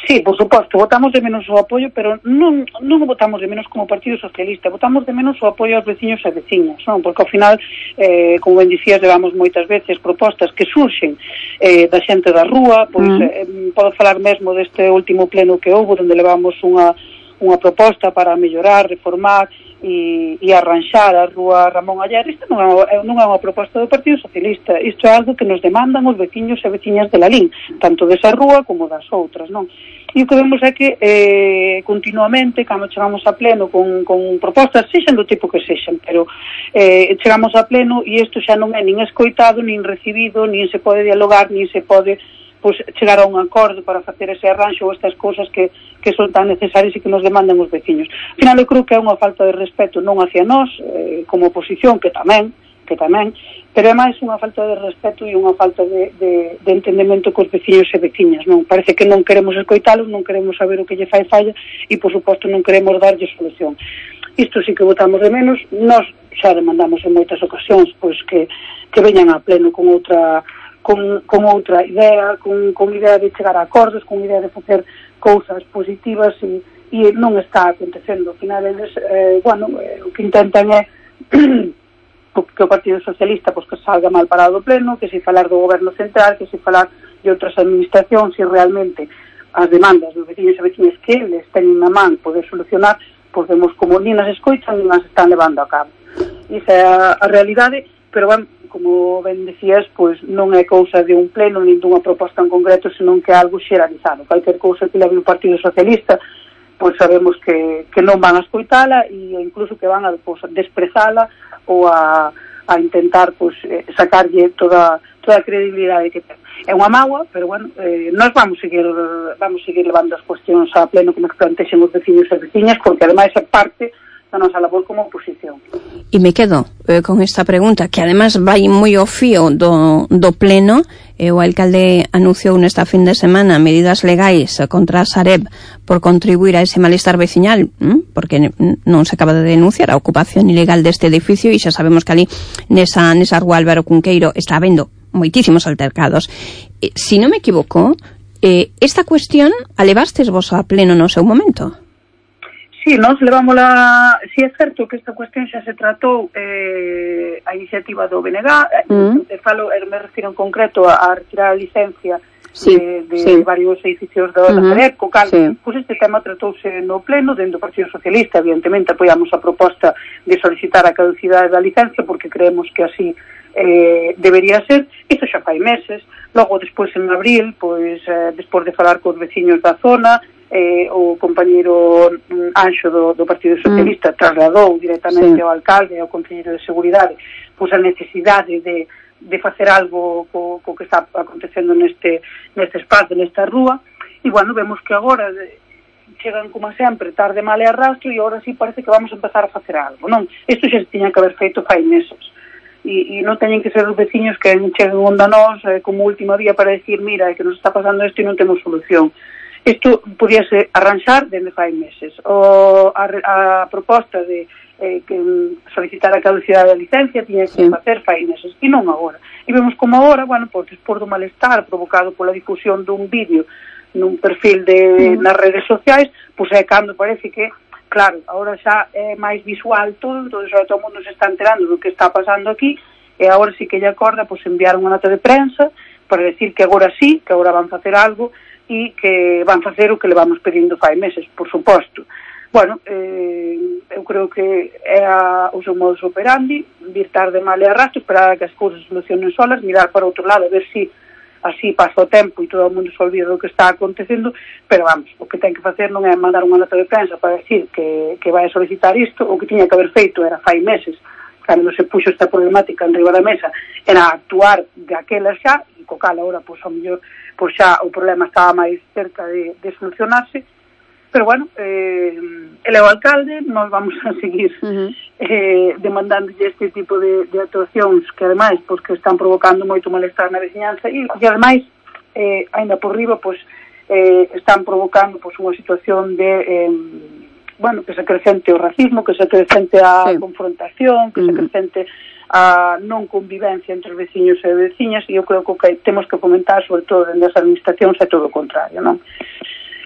Sí, por suposto, votamos de menos o apoio, pero non, non o votamos de menos como Partido Socialista, votamos de menos o apoio aos veciños e veciñas, non? Porque ao final, eh, como ben dicías, levamos moitas veces propostas que surxen eh, da xente da rúa, pois mm. eh, podo falar mesmo deste último pleno que houve, onde levamos unha, unha proposta para mellorar, reformar e, e arranxar a rúa Ramón Aller. Isto non é, non é unha proposta do Partido Socialista, isto é algo que nos demandan os veciños e veciñas de Lalín, tanto desa rúa como das outras, non? E o que vemos é que eh, continuamente, cando chegamos a pleno con, con propostas, sexan do tipo que sexan, pero eh, chegamos a pleno e isto xa non é nin escoitado, nin recibido, nin se pode dialogar, nin se pode pois, chegar a un acordo para facer ese arranxo ou estas cousas que, que son tan necesarias e que nos demandan os veciños. Al final, eu creo que é unha falta de respeto non hacia nós, eh, como oposición, que tamén, que tamén, pero é máis unha falta de respeto e unha falta de, de, de entendemento cos veciños e veciñas, non? Parece que non queremos escoitalos, non queremos saber o que lle fai falla e, por suposto, non queremos darlle solución. Isto sí que votamos de menos, nós xa demandamos en moitas ocasións pois que, que veñan a pleno con outra con, con outra idea, con, con idea de chegar a acordos, con idea de facer cousas positivas e, e non está acontecendo. Ao final, eles, eh, bueno, eh, o que intentan é que o Partido Socialista pois, que salga mal parado do pleno, que se falar do goberno central, que se falar de outras administracións, se realmente as demandas dos veciños e veciñas que eles teñen na man poder solucionar, pois vemos como nin as escoitan nin as están levando a cabo. Esa é a, a realidade, pero ben, como ben decías, pois non é cousa de un pleno nin dunha proposta en concreto, senón que é algo xeralizado. Calquer cousa que leve o Partido Socialista, pois sabemos que, que non van a escoitala e incluso que van a pois, desprezala ou a, a intentar pois, sacarlle toda, toda a credibilidade que ten. É unha mágoa, pero bueno, eh, nós vamos seguir vamos seguir levando as cuestións a pleno que nos plantexen os veciños e veciñas, porque ademais é parte da nosa labor como oposición. E me quedo eh, con esta pregunta, que además vai moi ao fío do, do pleno. Eh, o alcalde anunciou nesta fin de semana medidas legais contra a Sareb por contribuir a ese malestar veciñal, ¿m? Porque non se acaba de denunciar a ocupación ilegal deste edificio e xa sabemos que ali nesa, nesa rúa Álvaro Cunqueiro está habendo moitísimos altercados. Eh, si non me equivoco, eh, esta cuestión a levastes vos a pleno no seu momento? Sí, nos levámola, si sí, é certo que esta cuestión xa se tratou eh, a iniciativa do B N G, mm. eh, falo, me refiro en concreto a, a retirar a licencia sí, de, de sí. varios edificios da uh-huh. Sareb, co cal, sí. pois este tema tratouse no pleno dentro do Partido Socialista. Evidentemente apoiamos a proposta de solicitar a caducidade da licencia porque creemos que así eh, debería ser. Isto xa fai meses. Logo, despois en abril, pois eh, despois de falar cos veciños da zona, Eh, o compañeiro Anxo do, do Partido Socialista mm. trasladou directamente sí. ao alcalde e ao Conselleiro de Seguridade pois a necesidade de, de facer algo co, co que está acontecendo neste, neste espazo, nesta rúa, e, bueno, vemos que agora chegan, como sempre, tarde, mal e arrastro, e agora sí parece que vamos a empezar a facer algo, non? Isto xa se tiña que haber feito fai meses, e, e non teñen que ser os veciños que cheguen onda nós eh, como última vía para decir, mira, é que nos está pasando isto e non temos solución. Isto podíase arranxar dende fai meses. O, a, a proposta de eh, que solicitar a caducidade da licencia tiña que sí. facer fai meses, e non agora. E vemos como agora, bueno, pois, por do malestar provocado pola difusión dun vídeo nun perfil de, mm. nas redes sociais, pois é cando parece que, claro, agora xa é máis visual todo, todo, xa todo o mundo se está enterando do que está pasando aquí, e agora sí que lle acorda, pois, enviar unha nota de prensa para decir que agora sí, que agora van facer algo, e que van facer o que le vamos pedindo fai meses, por suposto. Bueno, eh, eu creo que é a, o seu modus operandi, vir tarde, mal e arrastro, esperar a que as cousas solucionen solas, mirar para outro lado, a ver se si así pasa o tempo e todo o mundo se olvida do que está acontecendo, pero vamos, o que ten que facer non é mandar unha nota de prensa para decir que, que vai a solicitar isto, o que tiña que haber feito era fai meses, cando se puxo esta problemática en riba da mesa, era actuar de aquela xa, e co cal agora, pois, ao mellor, pois xa o problema estaba máis cerca de, de solucionarse, pero bueno, eh, ele é o alcalde, nós vamos a seguir uh-huh. eh, demandando este tipo de, de actuacións que ademais, pois, que están provocando moito malestar na veciñanza, e, e ademais, eh, ainda por riba, pois, eh, están provocando, pois, unha situación de... Eh, bueno, que se acrecente o racismo, que se acrecente a sí. confrontación, que uh-huh. se acrecente a non convivencia entre os veciños e veciñas, e eu creo que o que temos que comentar, sobre todo dentro das administracións, é todo o contrario, non?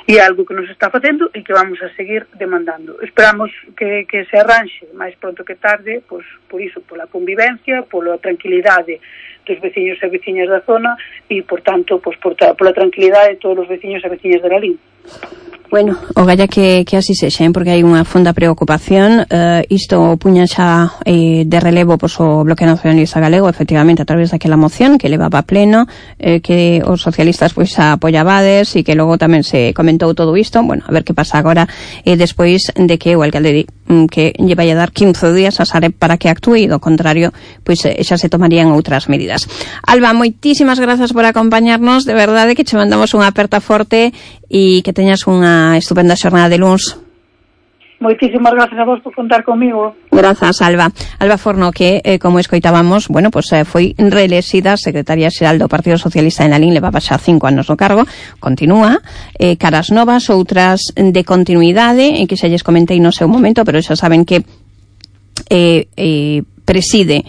E é algo que nos está facendo e que vamos a seguir demandando. Esperamos que, que se arranxe máis pronto que tarde, pois, por iso, pola convivencia, pola tranquilidade dos veciños e veciñas da zona e, por tanto, pois, por, pola tranquilidade de todos os veciños e veciñas de Lalín. Bueno, o galla que, que así sexa, porque hai unha fonda preocupación. Uh, isto puña xa eh, de relevo pois, o Bloque Nacionalista Galego, efectivamente, a través daquela moción que levaba a pleno, eh, que os socialistas pois apoiabades e que logo tamén se comentou todo isto. Bueno, a ver que pasa agora eh, despois de que o alcalde mm, que lle vai a dar quince días a Sareb para que actúe, e do contrario, pois eh, xa se tomarían outras medidas. Alba, moitísimas grazas por acompañarnos, de verdade que che mandamos unha aperta forte e que teñas unha estupenda xornada de luns. Moitísimas gracias a vos por contar comigo. Grazas, Alba. Alba Forno, que, eh, como escoitábamos, bueno, pues eh, foi reelexida secretaria xeral do Partido Socialista en Lalín, levaba xa cinco anos no cargo, continúa, eh, caras novas, outras de continuidade, e que xa lles comentei no seu momento, pero xa saben que eh, eh, preside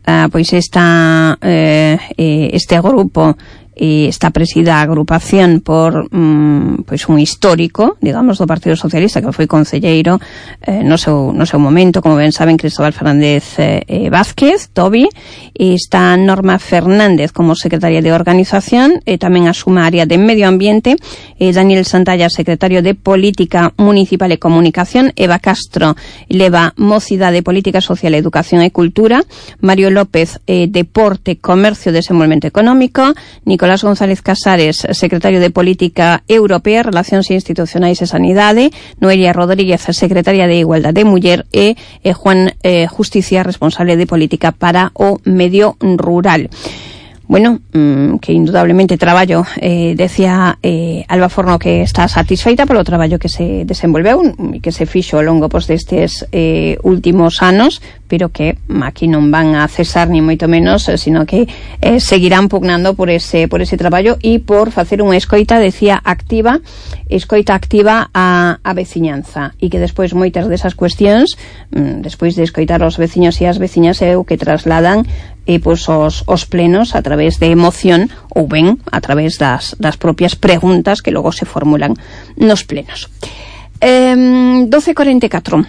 uh, pois esta eh, eh, este grupo, e está presida a agrupación por mm, pois un histórico, digamos, do Partido Socialista, que foi concelleiro eh, no, seu, no seu momento, como ben saben, Cristóbal Fernández eh, eh, Vázquez, Tobi, e está Norma Fernández como secretaria de Organización, e tamén asuma a área de Medio Ambiente, e Daniel Santalla, secretario de Política Municipal e Comunicación, Eva Castro leva Mocidade, Política Social, Educación e Cultura, Mario López, eh, Deporte, Comercio, Desenvolvemento Económico, Nicolás González Casares, secretario de Política Europea, Relacións Institucionais e Sanidade, Noelia Rodríguez, secretaria de Igualdade de Muller, e eh, Juan eh, Justicia, responsable de Política para o Medio Rural. Bueno, mmm, que indudablemente traballo, eh, decía eh, Alba Forno que está satisfeita polo traballo que se desenvolveu e que se fixo ao longo pois, destes eh, últimos anos, pero que aquí non van a cesar ni moito menos, sino que eh, seguirán pugnando por ese por ese traballo e por facer unha escoita, decía, activa, escoita activa a, a veciñanza, e que despois moitas desas cuestións, mmm, despois de escoitar os veciños e as veciñas, é o que trasladan e pois os, os plenos a través de emoción ou ben a través das, das propias preguntas que logo se formulan nos plenos. Eh, doce cuarenta e catro.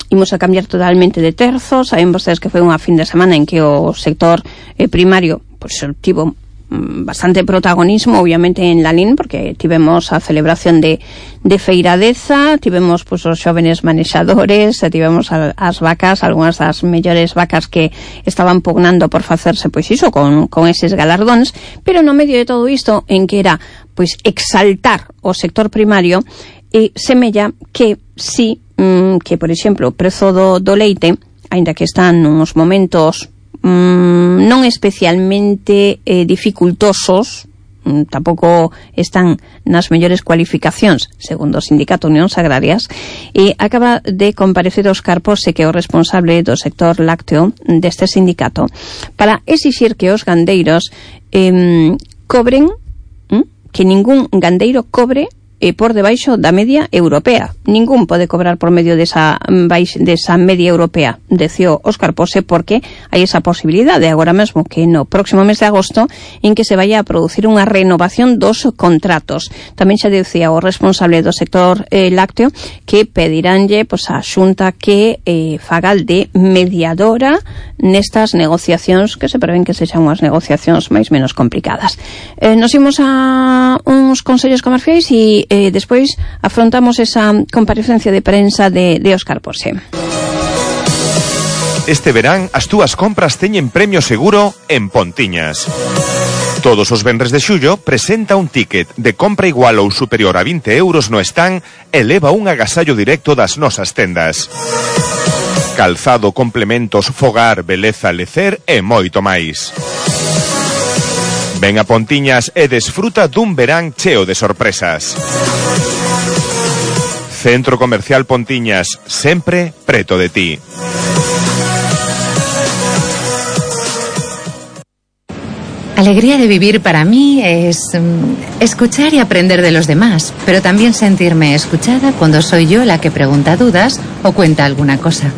Imos a cambiar totalmente de terzo. Saben vostedes que foi unha fin de semana en que o sector eh, primario pois, tivo bastante protagonismo, obviamente, en Lalín, porque tivemos a celebración de, de Feiradeza, tivemos pues, os xóvenes manexadores, tivemos a, as vacas, algunhas das mellores vacas que estaban pugnando por facerse, pois iso, con, con eses galardóns, pero no medio de todo isto, en que era, pois, exaltar o sector primario, e semella que sí, mm, que, por exemplo, o prezo do, do leite, aínda que están nos momentos mmm, non especialmente eh, dificultosos, tampouco están nas mellores cualificacións, segundo o Sindicato Unións Agrarias, e acaba de comparecer Óscar Pose, que é o responsable do sector lácteo deste sindicato, para exixir que os gandeiros eh, cobren, eh, que ningún gandeiro cobre e por debaixo da media europea. Ningún pode cobrar por medio desa, desa media europea, deció Óscar Pose, porque hai esa posibilidade agora mesmo que no próximo mes de agosto en que se vaya a producir unha renovación dos contratos. Tamén xa dicía o responsable do sector eh, lácteo que pediránlle pues, a Xunta que eh, faga de mediadora nestas negociacións que se prevén que sexan unhas negociacións máis menos complicadas. Eh, nos imos a uns consellos comerciais e Eh, despois afrontamos esa comparecencia de prensa de, de Óscar Pose. Este verán as túas compras teñen premio seguro en Pontiñas. Todos os venres de xullo presenta un ticket de compra igual ou superior a vinte euros no stand e leva un agasallo directo das nosas tendas. Calzado, complementos, fogar, beleza, lecer e moito máis. Ven a Pontiñas e desfruta dun verán cheo de sorpresas. Centro Comercial Pontiñas, sempre preto de ti. Alegría de vivir para mí es um, escuchar y aprender de los demás, pero también sentirme escuchada cuando soy yo la que pregunta dudas o cuenta alguna cosa.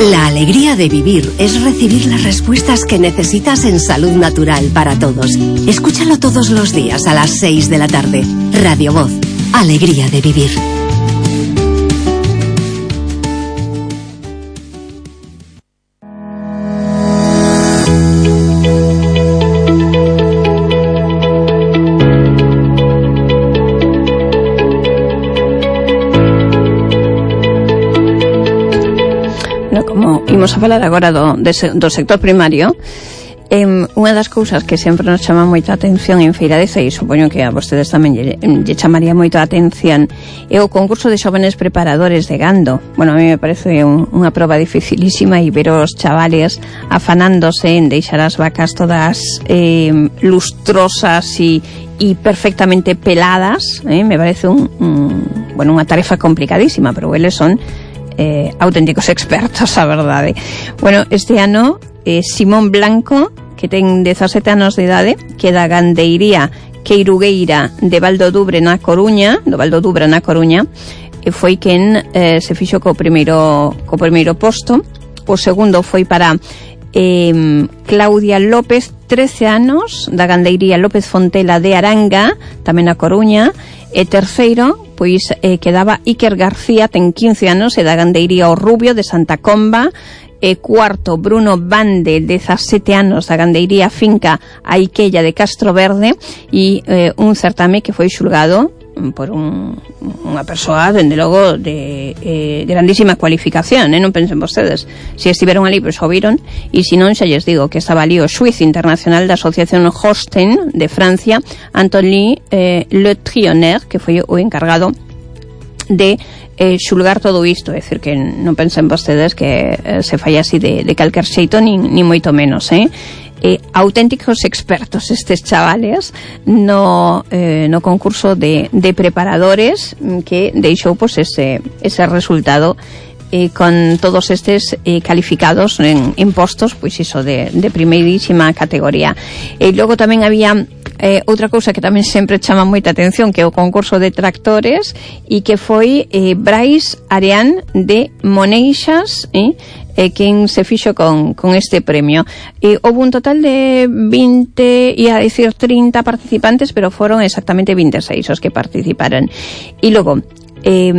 La alegría de vivir es recibir las respuestas que necesitas en Salud Natural para Todos. Escúchalo todos los días a las seis de la tarde. Radio Voz. Alegría de vivir. Imos a falar agora do, de, do sector primario. Eh, unha das cousas que sempre nos chama moita atención en Feiradeza, e supoño que a vostedes tamén lle, lle chamaría moito a atención, é o concurso de xóvenes preparadores de gando. Bueno, a mí me parece un, unha proba dificilísima, e ver os chavales afanándose en deixar as vacas todas eh, lustrosas e e perfectamente peladas, eh, me parece un, un, bueno, unha tarefa complicadísima, pero eles son Eh, auténticos expertos, a verdade. Bueno, este ano eh, Simón Blanco, que ten dezasete anos de idade, que é da gandeiría Queirugueira de Valdodubre na Coruña, do Valdodubre na Coruña, e foi quen eh, se fixo co primeiro co primeiro posto. O segundo foi para eh, Claudia López, trece anos, da gandeiría López Fontela de Aranga, tamén na Coruña. E terceiro, pois eh, quedaba Iker García, ten quince anos, e da gandeiría O Rubio de Santa Comba. E cuarto, Bruno Bande, dezasete anos, da gandeiría Finca Aiquella de Castro Verde. E eh, un certame que foi xulgado por un, unha persoa, dende logo, de eh, grandísima cualificación, eh? Non pensen vostedes. Se estiveron ali, pois o viron, e se non, xa lles digo que estaba ali o xuiz internacional da Asociación Holstein de Francia, Anthony eh, Le Trionner, que foi o encargado de eh, xulgar todo isto. É dicir, que non pensen vostedes que eh, se fai así de, de calquer xeito, nin, nin moito menos, eh? Eh, auténticos expertos estes chavales no, eh, no concurso de, de preparadores que deixou pues, ese, ese resultado eh, con todos estes eh, calificados en, en postos pois iso de, de primeirísima categoría. E logo tamén había eh, outra cousa que tamén sempre chama moita atención, que é o concurso de tractores, e que foi eh, Brais Areán de Moneixas, eh, eh, quen se fixo con, con este premio. E houve un total de vinte, ia decir trinta participantes, pero foron exactamente vinte e seis os que participaron. E logo, eh,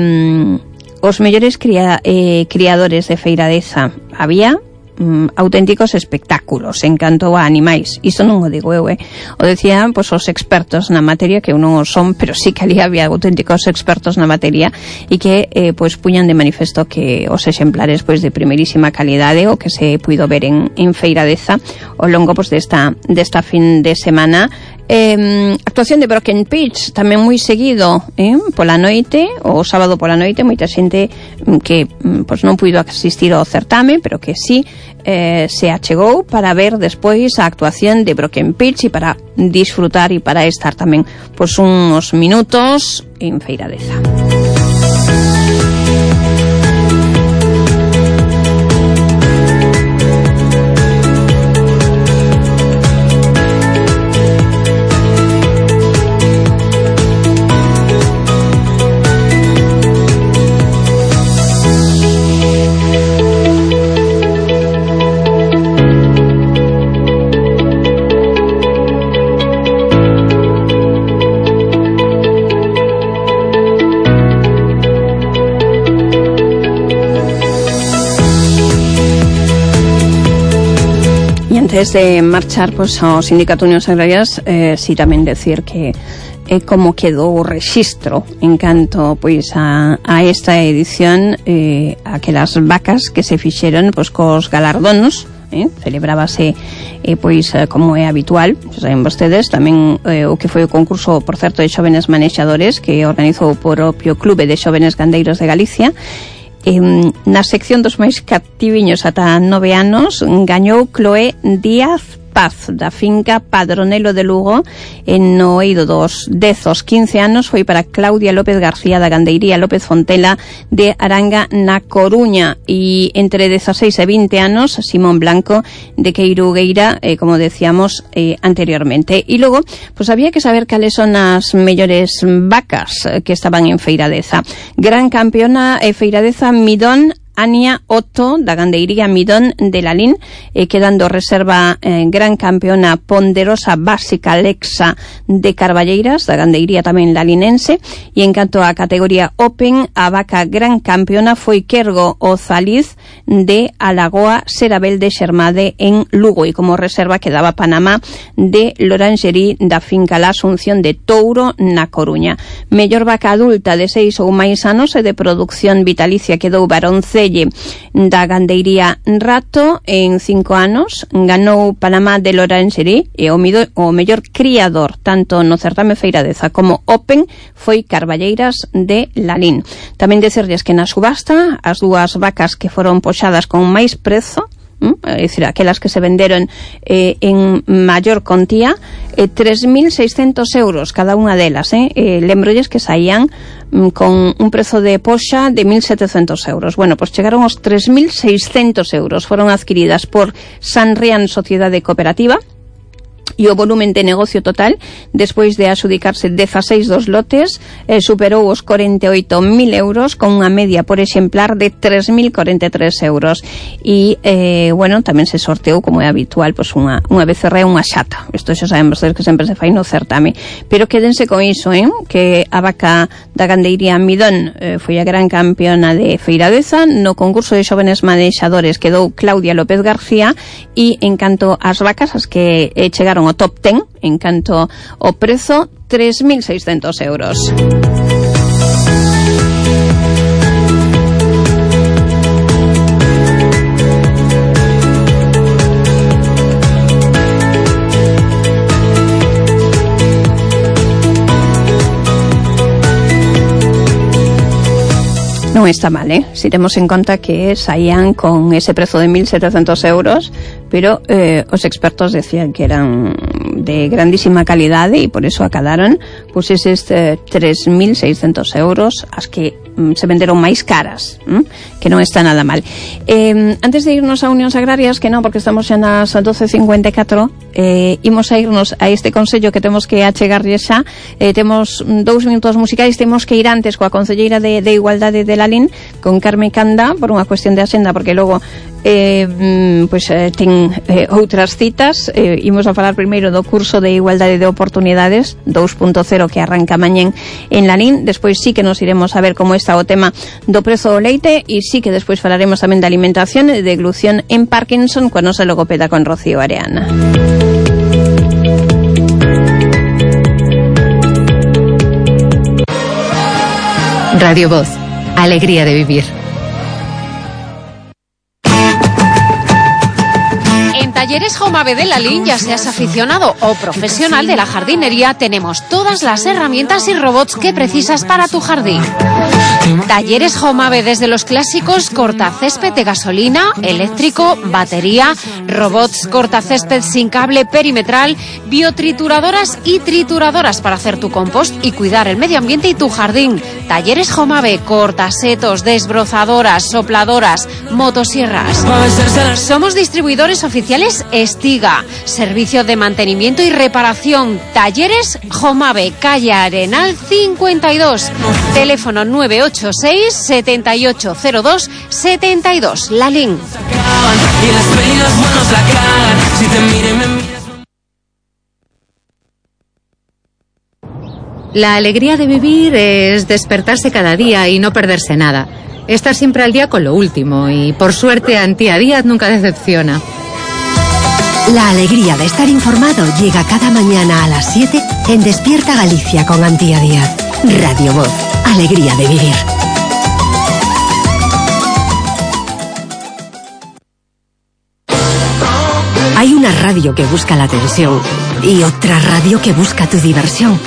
os mellores cria, eh, criadores de Feiradeza, había mm, auténticos espectáculos en canto a animais. Isto non o digo eu, eh. O decían pois, os expertos na materia, que eu non o son, pero sí que ali había auténticos expertos na materia, e que eh, pois puñan de manifesto que os exemplares pois de primeirísima calidade, o que se puido ver en, en Feiradeza ao longo pois desta, desta fin de semana, Eh, actuación de Broken Pitch tamén moi seguido, eh, pola noite, o sábado pola noite, moita xente que pois non puido asistir ao certame, pero que sí eh, se achegou para ver despois a actuación de Broken Pitch e para disfrutar e para estar tamén pois uns minutos en Feiradeza. Antes de marchar pues, ao Sindicato Unións Agrarias, eh, si tamén decir que é eh, como quedou o rexistro en canto pois a, a esta edición, eh, aquelas vacas que se fixeron pois, cos galardonos, eh, celebrábase eh, pois eh, como é habitual, saben vostedes, tamén eh, o que foi o concurso, por certo, de xóvenes manexadores que organizou o propio Clube de Xóvenes Gandeiros de Galicia. Eh, na sección dos máis cativiños ata nove anos gañou Chloé Díaz Paz da finca Padronelo de Lugo. En no eido dos dez aos quince anos foi para Claudia López García da Gandeiría López Fontela de Aranga na Coruña, e entre dezaseis e vinte anos Simón Blanco de Queirugueira, eh, como decíamos eh, anteriormente. E logo, pues había que saber cales son as mellores vacas que estaban en Feiradeza. Gran campeona eh, Feiradeza Midón Ania Otto da Gandeiría Midón de Lalín, eh, quedando reserva eh, gran campeona Ponderosa Básica Lexa de Carballeiras da Gandeiría tamén lalinense. E en canto a categoría Open, a vaca gran campeona foi Quergo Ozaliz de Alagoa Serabel de Xermade en Lugo, e como reserva quedaba Panamá de Lorangerí da finca La Asunción de Touro na Coruña. Mellor vaca adulta de seis ou máis anos e de producción vitalicia quedou Baronce da Gandeiría Rato en cinco anos, ganou Panamá de Lorangerí, e o, mido, o mellor criador tanto no certame Feiradeza como Open foi Carballeiras de Lalín. Tamén decirles que na subasta as dúas vacas que foron poxadas con máis prezo, é dicir, aquelas que se venderon eh, en maior contía, eh, tres mil seiscentos euros cada unha delas, eh? eh lembrolles que saían mm, con un prezo de poxa de mil setecentos euros. Bueno, pues chegaron aos tres mil seiscentos euros, foron adquiridas por Sanrián Sociedade Cooperativa, e o volumen de negocio total, despois de adxudicarse dezaseis dos lotes, eh, superou os corenta e oito mil euros, con unha media por exemplar de tres mil corenta e tres euros. E, eh, bueno, tamén se sorteou, como é habitual, pues unha, unha becerra e unha xata. Isto xa saben vostedes que sempre se fai no certame. Pero quédense con iso, eh, que a vaca da Gandeiría Midón eh, foi a gran campeona de Feiradeza. No concurso de xóvenes manexadores quedou Claudia López García, e en canto ás vacas, as que eh, chegaron o top ten, en canto o prezo, tres mil seiscentos euros. Non está mal, eh? Si temos en conta que saían con ese prezo de mil setecentos euros, pero eh, os expertos decían que eran de grandísima calidade e por eso acadaron pues eses eh, tres mil seiscentos euros, as que mm, se venderon máis caras, mm? que non está nada mal. Eh, antes de irnos a Unións Agrarias, que non, porque estamos xa nas doce cincuenta e catro, eh, imos a irnos a este consello que temos que achegarlle xa. Eh, temos dous minutos musicais, temos que ir antes coa concelleira de, de Igualdade de Lalín, con Carme Canda, por unha cuestión de axenda, porque logo eh, pues, eh, ten eh, outras citas. Eh, imos a falar primeiro do curso de Igualdade de Oportunidades dous punto cero que arranca mañén en Lalín. Despois sí que nos iremos a ver como está o tema do prezo do leite, e sí que despois falaremos tamén de alimentación e de deglución en Parkinson coa nosa logopeda con Rocío Areana. Radio Voz, alegría de vivir. Talleres Jomave de Lalín, ya seas aficionado o profesional de la jardinería, tenemos todas las herramientas y robots que precisas para tu jardín. Talleres Jomave, desde los clásicos cortacésped de gasolina, eléctrico, batería, robots cortacésped sin cable perimetral, biotrituradoras y trituradoras para hacer tu compost y cuidar el medio ambiente y tu jardín. Talleres Jomave, cortasetos, desbrozadoras, sopladoras, motosierras. Somos distribuidores oficiales Estiga, servicio de mantenimiento y reparación. Talleres Jomave, calle Arenal cincuenta y dos, teléfono nueve ocho seis, siete ocho cero dos, siete dos, Lalín. La alegría de vivir es despertarse cada día y no perderse nada. Estar siempre al día con lo último y, por suerte, Antía Díaz nunca decepciona. La alegría de estar informado llega cada mañana a las siete en Despierta Galicia con Antía Díaz. Radio Voz. Alegría de vivir. Hay una radio que busca la atención y otra radio que busca tu diversión.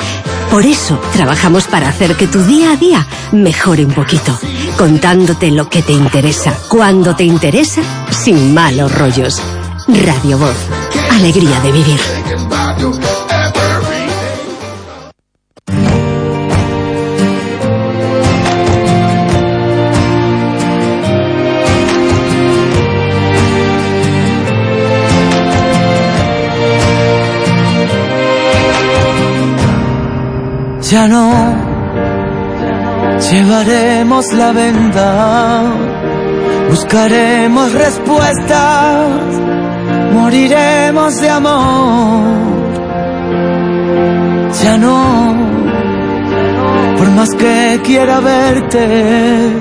Por eso trabajamos para hacer que tu día a día mejore un poquito, contándote lo que te interesa, cuando te interesa, sin malos rollos. Radio Voz. Alegría de vivir. Ya no llevaremos la venda, buscaremos respuestas, moriremos de amor. Ya no, por más que quiera verte,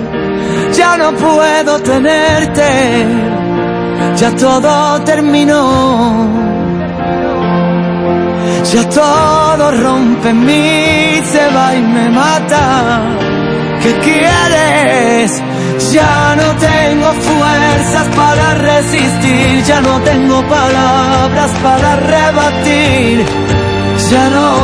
ya no puedo tenerte, ya todo terminó. Ya todo rompe en mí, se va y me mata. ¿Qué quieres? Ya no tengo fuerzas para resistir, ya no tengo palabras para rebatir. Ya no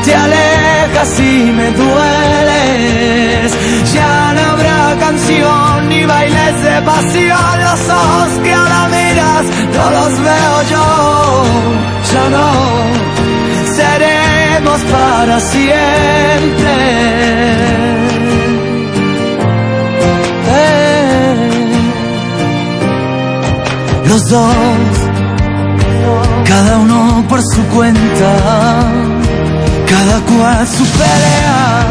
te alejas y me dueles, ya no habrá canción ni bailes de pasión. Los ojos que ahora miras no los veo yo. Ya no seremos para siempre. Eh. Los dos, cada uno por su cuenta, cada cual su pelea.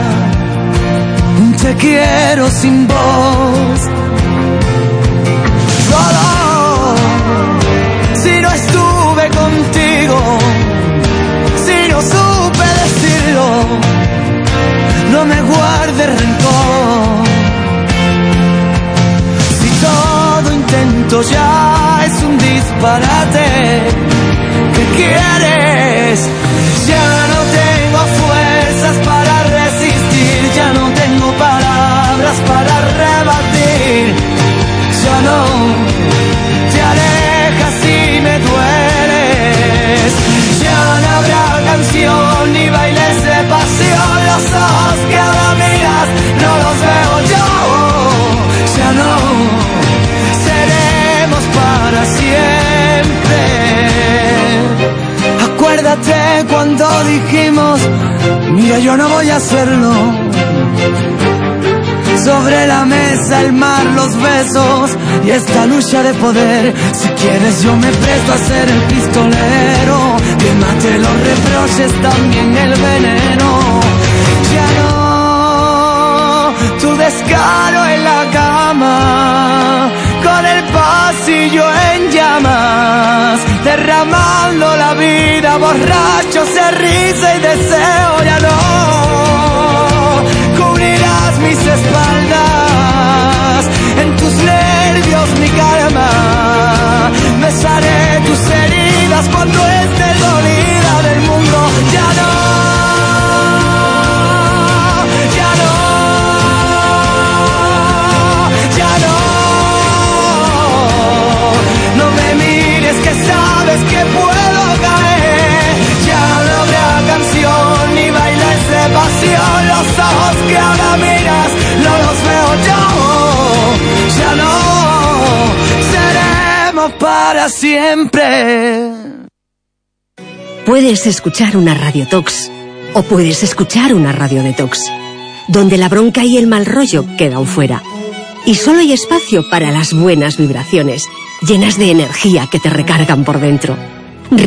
Un te quiero sin voz. Solo si no estuve contigo, si no supe decirlo, no me guarde rencor. Si todo intento ya es un disparate, ¿qué quieres? Ya no tengo fuerzas para resistir, ya no tengo palabras para rebatir. Ya no te alejas y me dueles, ya no habrá canción ni bailes de pasión. Los ojos que ahora miras no los veo yo. Ya no seremos para siempre. Acuérdate cuando dijimos, mira, yo no voy a hacerlo. Sobre la mesa el mar, los besos y esta lucha de poder. Si quieres yo me presto a ser el pistolero, que mate los reproches, también el veneno. Ya no tu descaro en la cama, con el pasillo en llamas, derramando la vida, borrachos de risa y deseo. Ya no cubrirás mis espaldas, en tus nervios mi karma, besaré tus heridas cuando esté dolida del mundo. Ya no, ya no, ya no, no me mires que para siempre. Puedes escuchar una radiotox o puedes escuchar una radio detox, donde la bronca y el mal rollo quedan fuera. Y solo hay espacio para las buenas vibraciones, llenas de energía que te recargan por dentro.